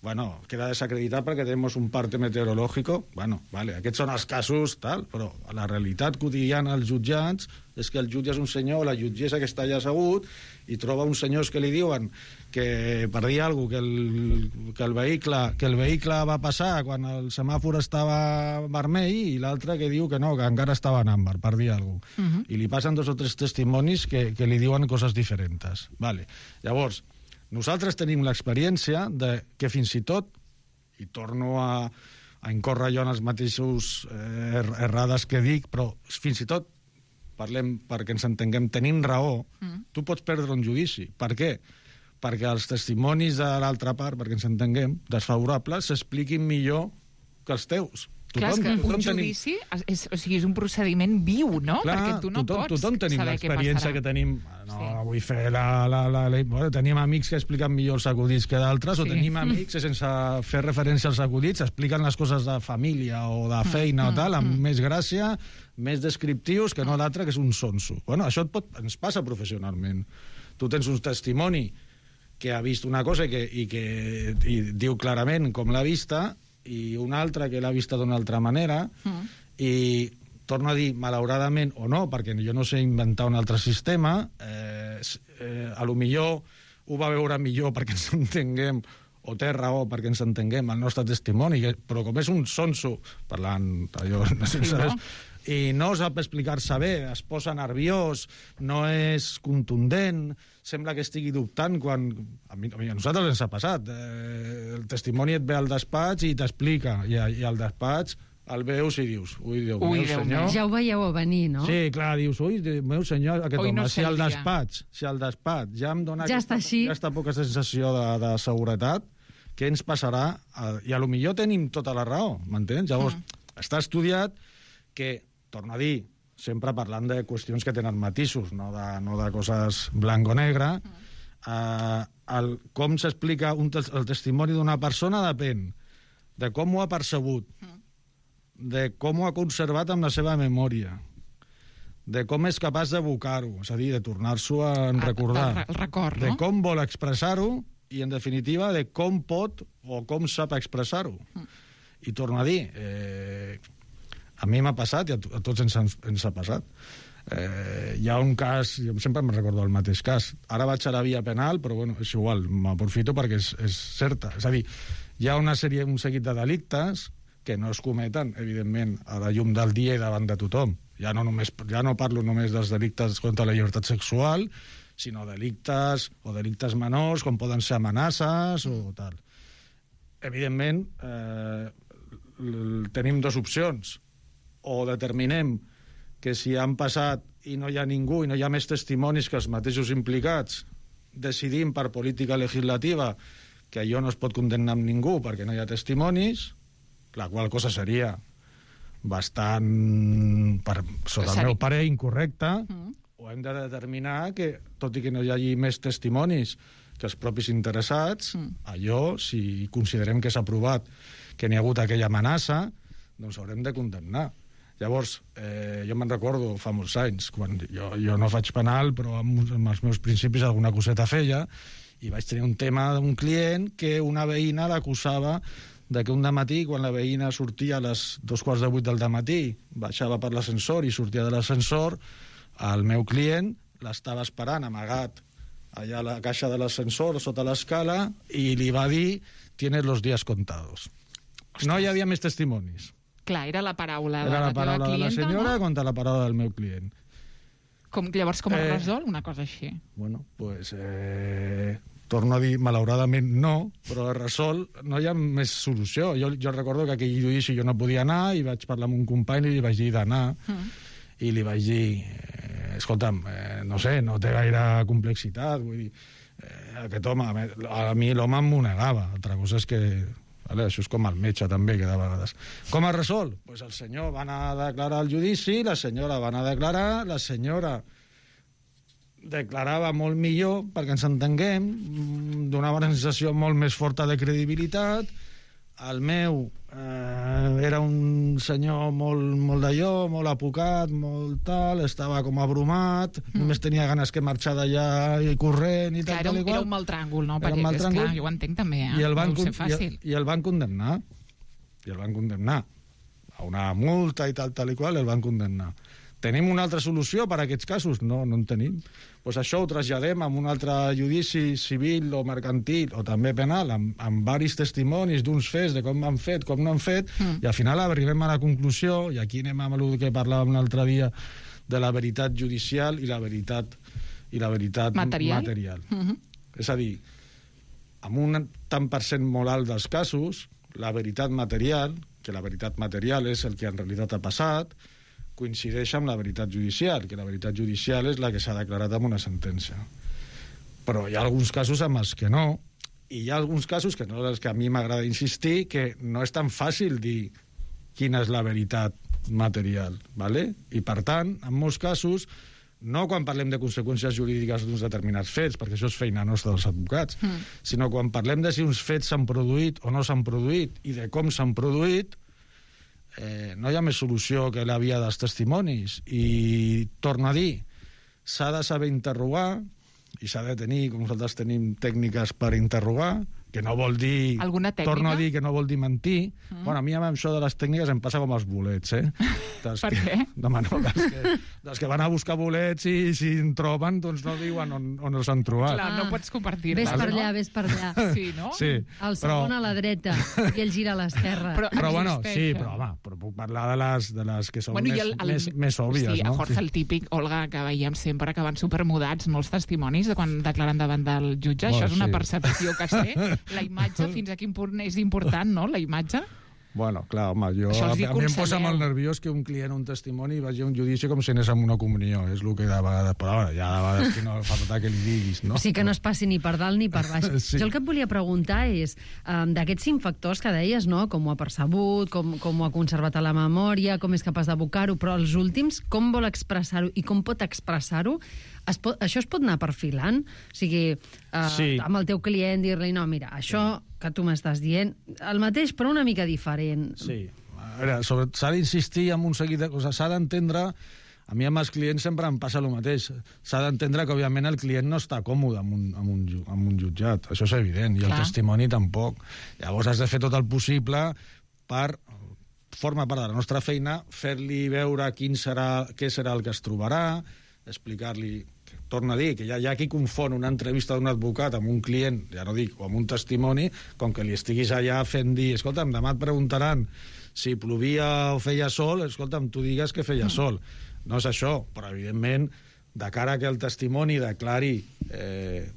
bueno, queda desacreditat perquè tenim un parte meteorològic. Bueno, vale, aquests són els casos, tal, però la realitat quotidiana als jutjats és que el jutge és un senyor o la jutgessa que està allà assegut i troba uns senyors que li diuen que, per dir alguna cosa, que el, que, el vehicle, que el vehicle va passar quan el semàfor estava vermell i l'altre que diu que no, que encara estava en àmbar, per dir alguna cosa. Uh-huh. I li passen dos o tres testimonis que, que li diuen coses diferents. Vale. Llavors, nosaltres tenim l'experiència de que fins i tot, i torno a, a incórrer jo en els mateixos eh, errades que dic, però fins i tot, parlem perquè ens entenguem, tenim raó, mm. tu pots perdre un judici. Per què? Perquè els testimonis de l'altra part, perquè ens entenguem, desfavorables, s'expliquin millor que els teus. Clar, és que un judici és, o sigui, és un procediment viu, no? Clar, perquè tu no tothom, pots tothom tenim saber què passarà. l'experiència que tenim. No, sí. vull fer la... la, la, la bueno, tenim amics que expliquen millor els acudits que d'altres, sí. o tenim amics que sense fer referència als acudits expliquen les coses de família o de feina mm, o tal, amb mm. més gràcia, més descriptius que no l'altre, que és un sonso. Bueno, això et pot, ens passa professionalment. Tu tens un testimoni que ha vist una cosa i que, i que i diu clarament com l'ha vista, i un altre que l'ha vista d'una altra manera, mm. i torno a dir, malauradament o no, perquè jo no sé inventar un altre sistema, eh, eh, a lo millor ho va veure millor perquè ens entenguem, o té raó perquè ens entenguem el nostre testimoni, però com és un sonso, parlant allò, sí, no? i no sap explicar-se bé, es posa nerviós, no és contundent, sembla que estigui dubtant quan... A, mi, a nosaltres ens ha passat. Eh, el testimoni et ve al despatx i t'explica, i, i al despatx el veus i dius, ui, Déu ui, meu Déu senyor... Ja ho veieu a venir, no? Sí, clar, dius, ui, Déu meu senyor, aquest ui, home, no si al despatx, si al despatx ja em dona ja aquesta, aquesta poca sensació de, de seguretat, què ens passarà? I a lo millor tenim tota la raó, m'entens? Llavors, mm. està estudiat que, torno a dir, sempre parlant de qüestions que tenen matisos, no de, no de coses blanc o negre, mm. eh, el, com s'explica un, el testimoni d'una persona depèn de com ho ha percebut, mm. de com ho ha conservat amb la seva memòria, de com és capaç d'evocar-ho, és a dir, de tornar-s'ho a recordar, el record, no? de com vol expressar-ho i, en definitiva, de com pot o com sap expressar-ho. Mm. I torno a dir, eh, a mi m'ha passat i a, a tots ens, ens ha passat. Eh, hi ha un cas, jo sempre me'n recordo el mateix cas, ara vaig a la via penal, però bueno, és igual, m'aprofito perquè és, és certa. És a dir, hi ha una sèrie, un seguit de delictes que no es cometen, evidentment, a la llum del dia i davant de tothom. Ja no, només, ja no parlo només dels delictes contra la llibertat sexual, sinó delictes o delictes menors, com poden ser amenaces o tal. Evidentment, eh, tenim dues opcions. O determinem que si han passat i no hi ha ningú i no hi ha més testimonis que els mateixos implicats, decidim per política legislativa que allò no es pot condemnar amb ningú perquè no hi ha testimonis, la qual cosa seria bastant, per, sota el meu pare, incorrecta, mm. o hem de determinar que, tot i que no hi hagi més testimonis que els propis interessats, mm. allò, si considerem que s'ha provat que n'hi ha hagut aquella amenaça, doncs haurem de condemnar. Llavors, eh, jo me'n recordo fa molts anys, quan jo, jo no faig penal, però amb, amb els meus principis alguna coseta feia, i vaig tenir un tema d'un client que una veïna l'acusava de que un dematí, quan la veïna sortia a les dos quarts de vuit del dematí, baixava per l'ascensor i sortia de l'ascensor, el meu client l'estava esperant amagat allà a la caixa de l'ascensor, sota l'escala, i li va dir, tienes los días contados. Ostres. No hi havia més testimonis. Clar, era la paraula era de la, la paraula teva clienta, de la senyora no? contra la paraula del meu client. Com, llavors, com es eh, resol una cosa així? Bueno, pues, eh, torno a dir, malauradament no, però es resol, no hi ha més solució. Jo, jo recordo que aquell judici jo no podia anar i vaig parlar amb un company i li vaig dir d'anar, mm. i li vaig dir, eh, escolta'm, eh, no sé, no té gaire complexitat, vull dir, eh, aquest home, a mi l'home m'ho negava, altra cosa és que... Vale, això és com el metge també, que de vegades. Com es resol? Pues el senyor va anar a declarar al judici, la senyora va anar a declarar, la senyora declarava molt millor, perquè ens entenguem, donava una sensació molt més forta de credibilitat, el meu eh, era un senyor molt, molt d'allò, molt apocat, molt tal, estava com abrumat, mm. només tenia ganes que marxar d'allà i corrent i tal, clar, era, tal i qual. Era un mal tràngol, no? Perquè, és clar, jo ho entenc també, eh? I el van, no deu ser fàcil. I, I el van condemnar. I el van condemnar. A una multa i tal, tal i qual, el van condemnar. Tenim una altra solució per a aquests casos? No, no en tenim. Pues això ho traslladem amb un altre judici civil o mercantil, o també penal, amb, amb varis testimonis d'uns fets, de com han fet, com no han fet, mm. i al final arribem a la conclusió, i aquí anem amb el que parlàvem l'altre dia, de la veritat judicial i la veritat, i la veritat material. material. Mm-hmm. És a dir, amb un tant per cent molt alt dels casos, la veritat material, que la veritat material és el que en realitat ha passat, coincideix amb la veritat judicial, que la veritat judicial és la que s'ha declarat amb una sentència. Però hi ha alguns casos amb els que no, i hi ha alguns casos, que no és els que a mi m'agrada insistir, que no és tan fàcil dir quina és la veritat material, ¿vale? I per tant, en molts casos, no quan parlem de conseqüències jurídiques d'uns determinats fets, perquè això és feina nostra dels advocats, mm. sinó quan parlem de si uns fets s'han produït o no s'han produït i de com s'han produït, eh, no hi ha més solució que la via dels testimonis. I torno a dir, s'ha de saber interrogar i s'ha de tenir, com nosaltres tenim, tècniques per interrogar, que no vol dir... Alguna tècnica? Torno a dir que no vol dir mentir. Mm. Bueno, a mi amb això de les tècniques em passa com els bolets, eh? Dels per que, què? No, no, dels que, dels que van a buscar bolets i si en troben, doncs no diuen on, on els han trobat. Clar, no pots compartir-les. Ves per no? allà, ves per allà. Sí, no? Sí, el segon però... a la dreta i el gira a l'esquerra. Però, però bueno, sí, però home, però puc parlar de les, de les que són bueno, més, el, el, més, més òbvies, sí, no? a Jorge, sí. el típic, Olga, que veiem sempre que van supermudats, molts testimonis de quan declaren davant del jutge. Bueno, això és una sí. percepció que es té. La imatge, fins a quin punt és important, no?, la imatge. Bueno, clar, home, jo, a, a mi em posa molt nerviós que un client, un testimoni, vagi a un judici com si anés amb una comunió. És el que de vegades... Però bueno, ja de vegades que no fa falta que li diguis, no? O sigui que no es passi ni per dalt ni per baix. Sí. Jo el que et volia preguntar és, um, d'aquests cinc factors que deies, no?, com ho ha percebut, com, com ho ha conservat a la memòria, com és capaç d'abocar-ho, però els últims, com vol expressar-ho i com pot expressar-ho, es pot, això es pot anar perfilant? O sigui, uh, sí. amb el teu client dir-li, no, mira, això que tu m'estàs dient, el mateix però una mica diferent. Sí, a veure, sobre, s'ha d'insistir en un seguit de coses, s'ha d'entendre, a mi amb els clients sempre em passa el mateix, s'ha d'entendre que òbviament el client no està còmode amb un, amb un, amb un jutjat, això és evident, i Clar. el testimoni tampoc. Llavors has de fer tot el possible per, forma part de la nostra feina, fer-li veure quin serà, què serà el que es trobarà, explicar-li, torno a dir, que ja hi ha qui confon una entrevista d'un advocat amb un client, ja no dic, o amb un testimoni, com que li estiguis allà fent dir, escolta'm, demà et preguntaran si plovia o feia sol, escolta'm, tu digues que feia sol. No és això, però evidentment, de cara que el testimoni declari eh,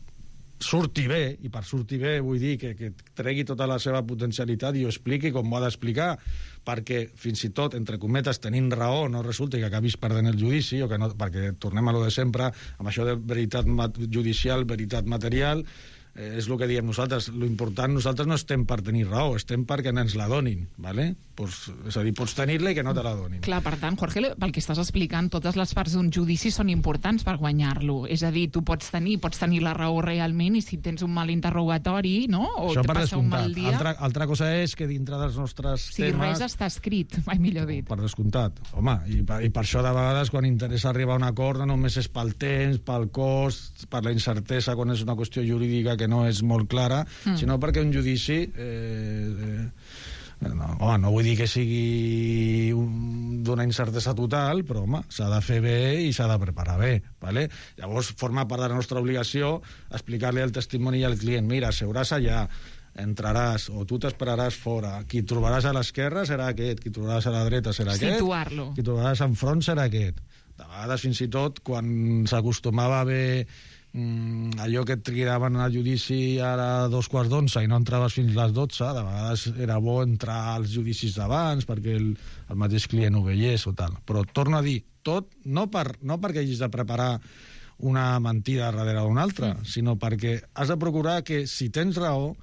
surti bé, i per sortir bé vull dir que, que tregui tota la seva potencialitat i ho expliqui com ho ha d'explicar, perquè fins i tot, entre cometes, tenint raó, no resulta que acabis perdent el judici, o que no, perquè tornem a lo de sempre, amb això de veritat judicial, veritat material, eh, és el que diem nosaltres. Lo important, nosaltres no estem per tenir raó, estem perquè ens la donin, ¿vale? Pues, és a dir, pots tenir-la i que no te la donin. Clar, per tant, Jorge, pel que estàs explicant, totes les parts d'un judici són importants per guanyar-lo. És a dir, tu pots tenir pots tenir la raó realment i si tens un mal interrogatori, no? O això te per passa un mal dia... Altra, altra cosa és que dintre dels nostres sí, temes... res està escrit, mai millor dit. Per descomptat. Home, i per, i per això de vegades quan interessa arribar a un acord no només és pel temps, pel cost, per la incertesa quan és una qüestió jurídica que no és molt clara, mm. sinó perquè un judici... Eh, eh, No, home, no vull dir que sigui un, d'una incertesa total, però home, s'ha de fer bé i s'ha de preparar bé, ¿vale? Llavors forma part de la nostra obligació explicar-li al testimoni i al client, mira, seuràs allà, entraràs o tu t'esperaràs fora, qui trobaràs a l'esquerra serà aquest, qui trobaràs a la dreta serà aquest, situar-lo, qui trobaràs enfront serà aquest. De vegades fins i tot quan s'acostumava a haver Mm, allò que et trigaven al judici a dos quarts d'onze i no entraves fins a les dotze, de vegades era bo entrar als judicis d'abans perquè el, el mateix client ho veiés o tal. Però torno a dir, tot no, per, no perquè hagis de preparar una mentida darrere d'una altra, mm. sinó perquè has de procurar que si tens raó,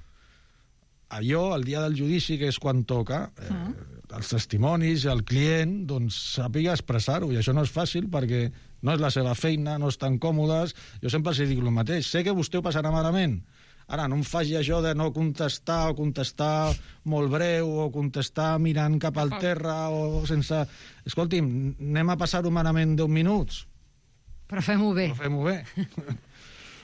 allò, el dia del judici, que és quan toca, eh, mm. els testimonis, el client, doncs sàpiga expressar-ho, i això no és fàcil perquè no és la seva feina, no estan còmodes. Jo sempre els dic el mateix. Sé que vostè ho passarà malament. Ara, no em faci això de no contestar o contestar molt breu o contestar mirant cap al terra o sense... Escolti'm, anem a passar-ho malament deu minuts. Però fem-ho bé. Però fem-ho bé.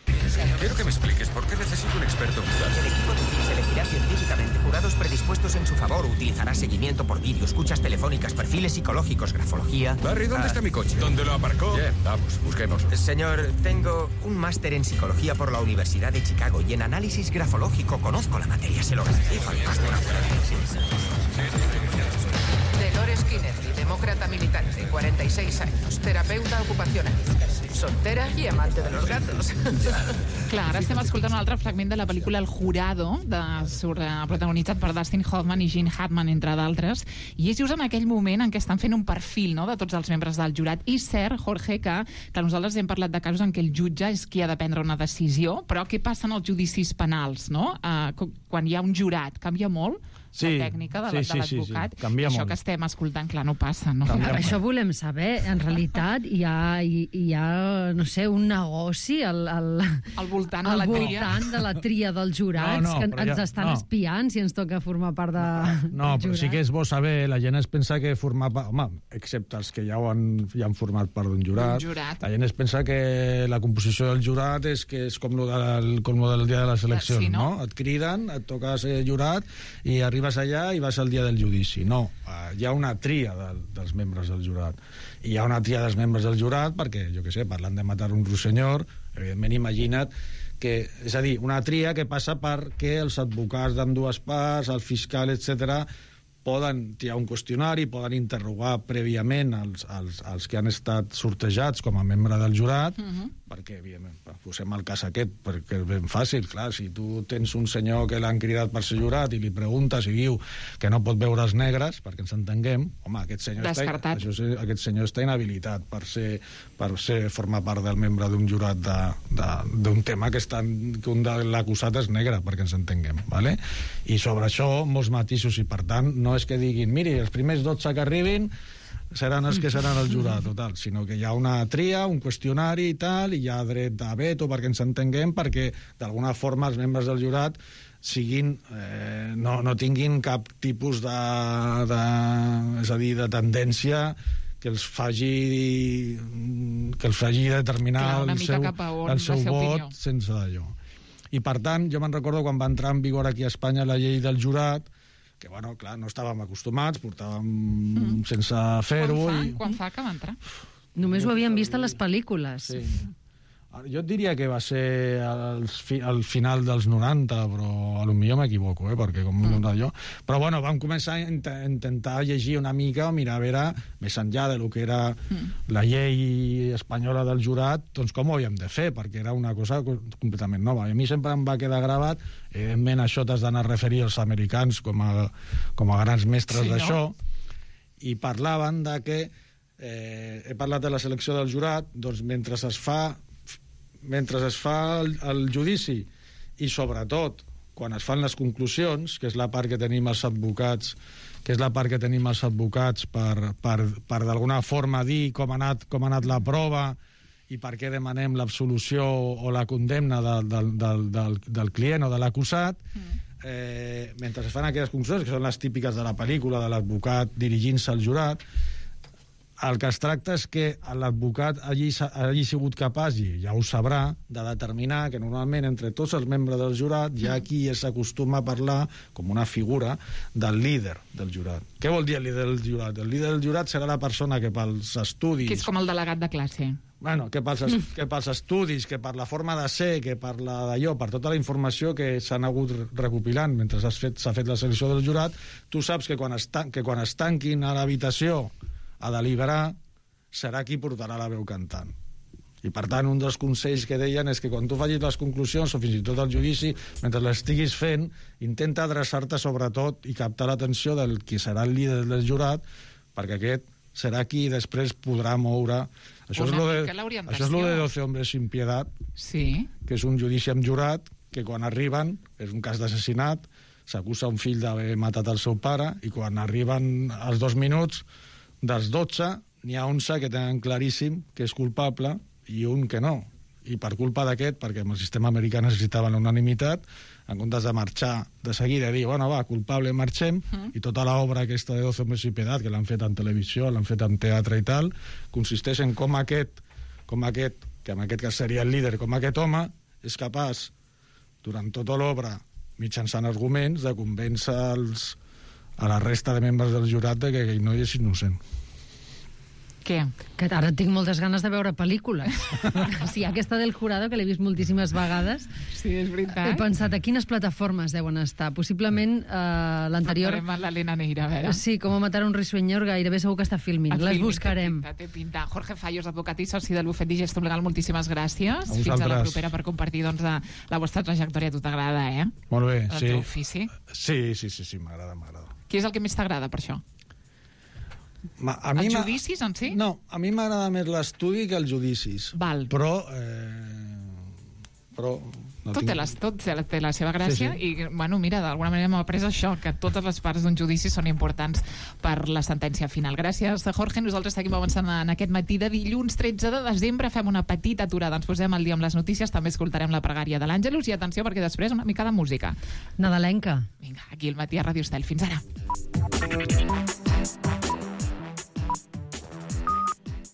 Quiero que me expliques por qué necesito un experto jurado. El equipo se elegirá científicamente. Jurados predispuestos en su favor. Utilizará seguimiento por vídeo, escuchas telefónicas, perfiles psicológicos, grafología... Barry, ¿dónde ah, está mi coche? ¿Dónde lo aparcó? Bien, vamos, busquemos. Señor, tengo un máster en psicología por la Universidad de Chicago y en análisis grafológico. Conozco la materia, se lo garantizo. Dolores Kennedy, demócrata militante, cuarenta y seis años, terapeuta ocupacional, soltera y amante de los gatos. Clar, ara estem escoltant un altre fragment de la pel·lícula El Jurado, de, sur, eh, protagonitzat per Dustin Hoffman i Gene Hackman, entre d'altres, i és just en aquell moment en què estan fent un perfil, no?, de tots els membres del jurat. I cert, Jorge, que, que nosaltres hem parlat de casos en què el jutge és qui ha de prendre una decisió, però què passa en els judicis penals, no? Uh, quan hi ha un jurat, canvia molt sí, la tècnica de, sí, de l'advocat. Sí, sí, sí. Això molt. Que estem escoltant, clar, no passa. No? Això volem saber. En realitat hi ha, hi, hi ha no sé, un negoci al, al, al voltant, al de, la voltant de la tria dels jurats, no, no, que ens ja, estan no. espiant si ens toca formar part de, no, no, però sí que és bo saber, la gent es pensa que formar part, home, excepte els que ja, ho han, ja han format part d'un jurat, jurat, la gent es pensa que la composició del jurat és que és com lo del, com lo del dia de les eleccions, sí, no? no? Et criden, et toca ser jurat i arribes allà i vas al dia del judici. No, hi ha una tria de, dels membres del jurat. I hi ha una tria dels membres del jurat perquè, jo què sé, parlant de matar un russenyor, evidentment imagina't que, és a dir, una tria que passa perquè els advocats d'ambdues parts, el fiscal, etcètera, poden triar un qüestionari, poden interrogar prèviament els, els, els que han estat sortejats com a membre del jurat, uh-huh. perquè, evidentment, posem el cas aquest, perquè és ben fàcil, clar, si tu tens un senyor que l'han cridat per ser jurat i li preguntes i diu que no pot veure els negres, perquè ens entenguem, home, aquest senyor, està, això, aquest senyor està inhabilitat per ser, per ser formar part del membre d'un jurat d'un tema que, estan, que un de l'acusat és negre, perquè ens entenguem, ¿vale? I sobre això, molts matisos, i per tant, no és que diguin, miri, els primers dotze que arribin seran els que seran el jurat, total, sinó que hi ha una tria, un qüestionari i tal, i hi ha dret a veto perquè ens entenguem, perquè d'alguna forma els membres del jurat siguin, eh, no, no tinguin cap tipus de, de, és a dir, de tendència que els faci que els faci determinar clar, el seu, el seu vot opinió. Sense d'allò. I per tant, jo me'n recordo quan va entrar en vigor aquí a Espanya la llei del jurat, que, bueno, clar, no estàvem acostumats, portàvem mm. sense fer-ho. Quan, i... quan fa que va entrar? Només ho havíem vist a les pel·lícules. Sí. Jo et diria que va ser al, fi, al final dels noranta, però a lo millor m'equivoco, eh, perquè com mm. jo... Però, bueno, vam començar a int intentar llegir una mica, mirar a veure, més enllà de lo que era mm. la llei espanyola del jurat, doncs com ho havíem de fer, perquè era una cosa completament nova. I a mi sempre em va quedar gravat, evidentment això t'has d'anar a referir als americans com a, com a grans mestres sí, d'això, no? I parlaven de que, eh, he parlat de la selecció del jurat, doncs mentre es fa mentre es fa el, el judici i sobretot quan es fan les conclusions, que és la part que tenim els advocats que és la part que tenim els advocats per, per, per d'alguna forma dir com ha anat, com ha anat la prova i per què demanem l'absolució o la condemna de, de, de, del, del client o de l'acusat, mm. eh, mentre es fan aquelles conclusions, que són les típiques de la pel·lícula, de l'advocat dirigint-se al jurat, el que es tracta és que l'advocat hagi, hagi sigut capaç, i ja ho sabrà, de determinar que normalment entre tots els membres del jurat hi ha qui s'acostuma a parlar com una figura del líder del jurat. Què vol dir el líder del jurat? El líder del jurat serà la persona que pels estudis... Que és com el delegat de classe. Bueno, que pels, que pels estudis, que per la forma de ser, que per la d'allò, per tota la informació que s'han hagut recopilant mentre s'ha fet, fet la selecció del jurat, tu saps que quan es, que quan es tanquin a l'habitació a deliberar, serà qui portarà la veu cantant. I, per tant, un dels consells que deien és que quan tu facis les conclusions, o fins i tot el judici, mentre l'estiguis fent, intenta adreçar-te sobretot i captar l'atenció del qui serà el líder del jurat, perquè aquest serà qui després podrà moure... Això és, lo de, això és lo de doce hombres sin piedad, sí. que és un judici amb jurat, que quan arriben, és un cas d'assassinat, s'acusa un fill d'haver matat el seu pare, i quan arriben als dos minuts, dels dotze, n'hi ha onze que tenen claríssim que és culpable i un que no. I per culpa d'aquest, perquè el sistema americà necessitava l'unanimitat, en comptes de marxar de seguida i dir, bueno, va, culpable, marxem, uh-huh. i tota l'obra aquesta de doce hombres sin piedad, que l'han fet en televisió, l'han fet en teatre i tal, consisteix en com aquest, com aquest, que en aquest cas seria el líder, com aquest home, és capaç, durant tota l'obra, mitjançant arguments, de convèncer els a la resta de membres del jurat de que aquell noi és innocent. Què? Que ara tinc moltes ganes de veure pel·lícules. Sí, aquesta del Jurado, que l'he vist moltíssimes vegades. Sí, és veritat. He pensat a quines plataformes deuen estar. Possiblement eh, l'anterior... Parlarem amb l'Helena Neira, a veure. Sí, com a matar un risueñor, gairebé segur que està filming. A Les filming, buscarem. Té pinta, té pinta. Jorge Fallos, advocat i soci del bufet Digestum Legal, moltíssimes gràcies. A Fins a la propera per compartir doncs, la vostra trajectòria. A tu t'agrada, eh? Molt bé, el sí. teu ofici. Sí, sí, sí, sí m'agrada, m'agrada. Què és el que més t'agrada, per això? Ma, a mi els judicis en si? No, a mi m'agrada més l'estudi que els judicis. Val. Però, eh, però No tot, tinc... té les, tot té la seva gràcia sí, sí. i, bueno, mira, d'alguna manera m'ha après això, que totes les parts d'un judici són importants per la sentència final. Gràcies, Jorge. Nosaltres seguim avançant en aquest matí de dilluns tretze de desembre. Fem una petita aturada, ens posem al dia amb les notícies, també escoltarem la pregària de l'Àngelus i atenció perquè després una mica de música. Nadalenca. Vinga, aquí al matí a Ràdio Estel. Fins ara.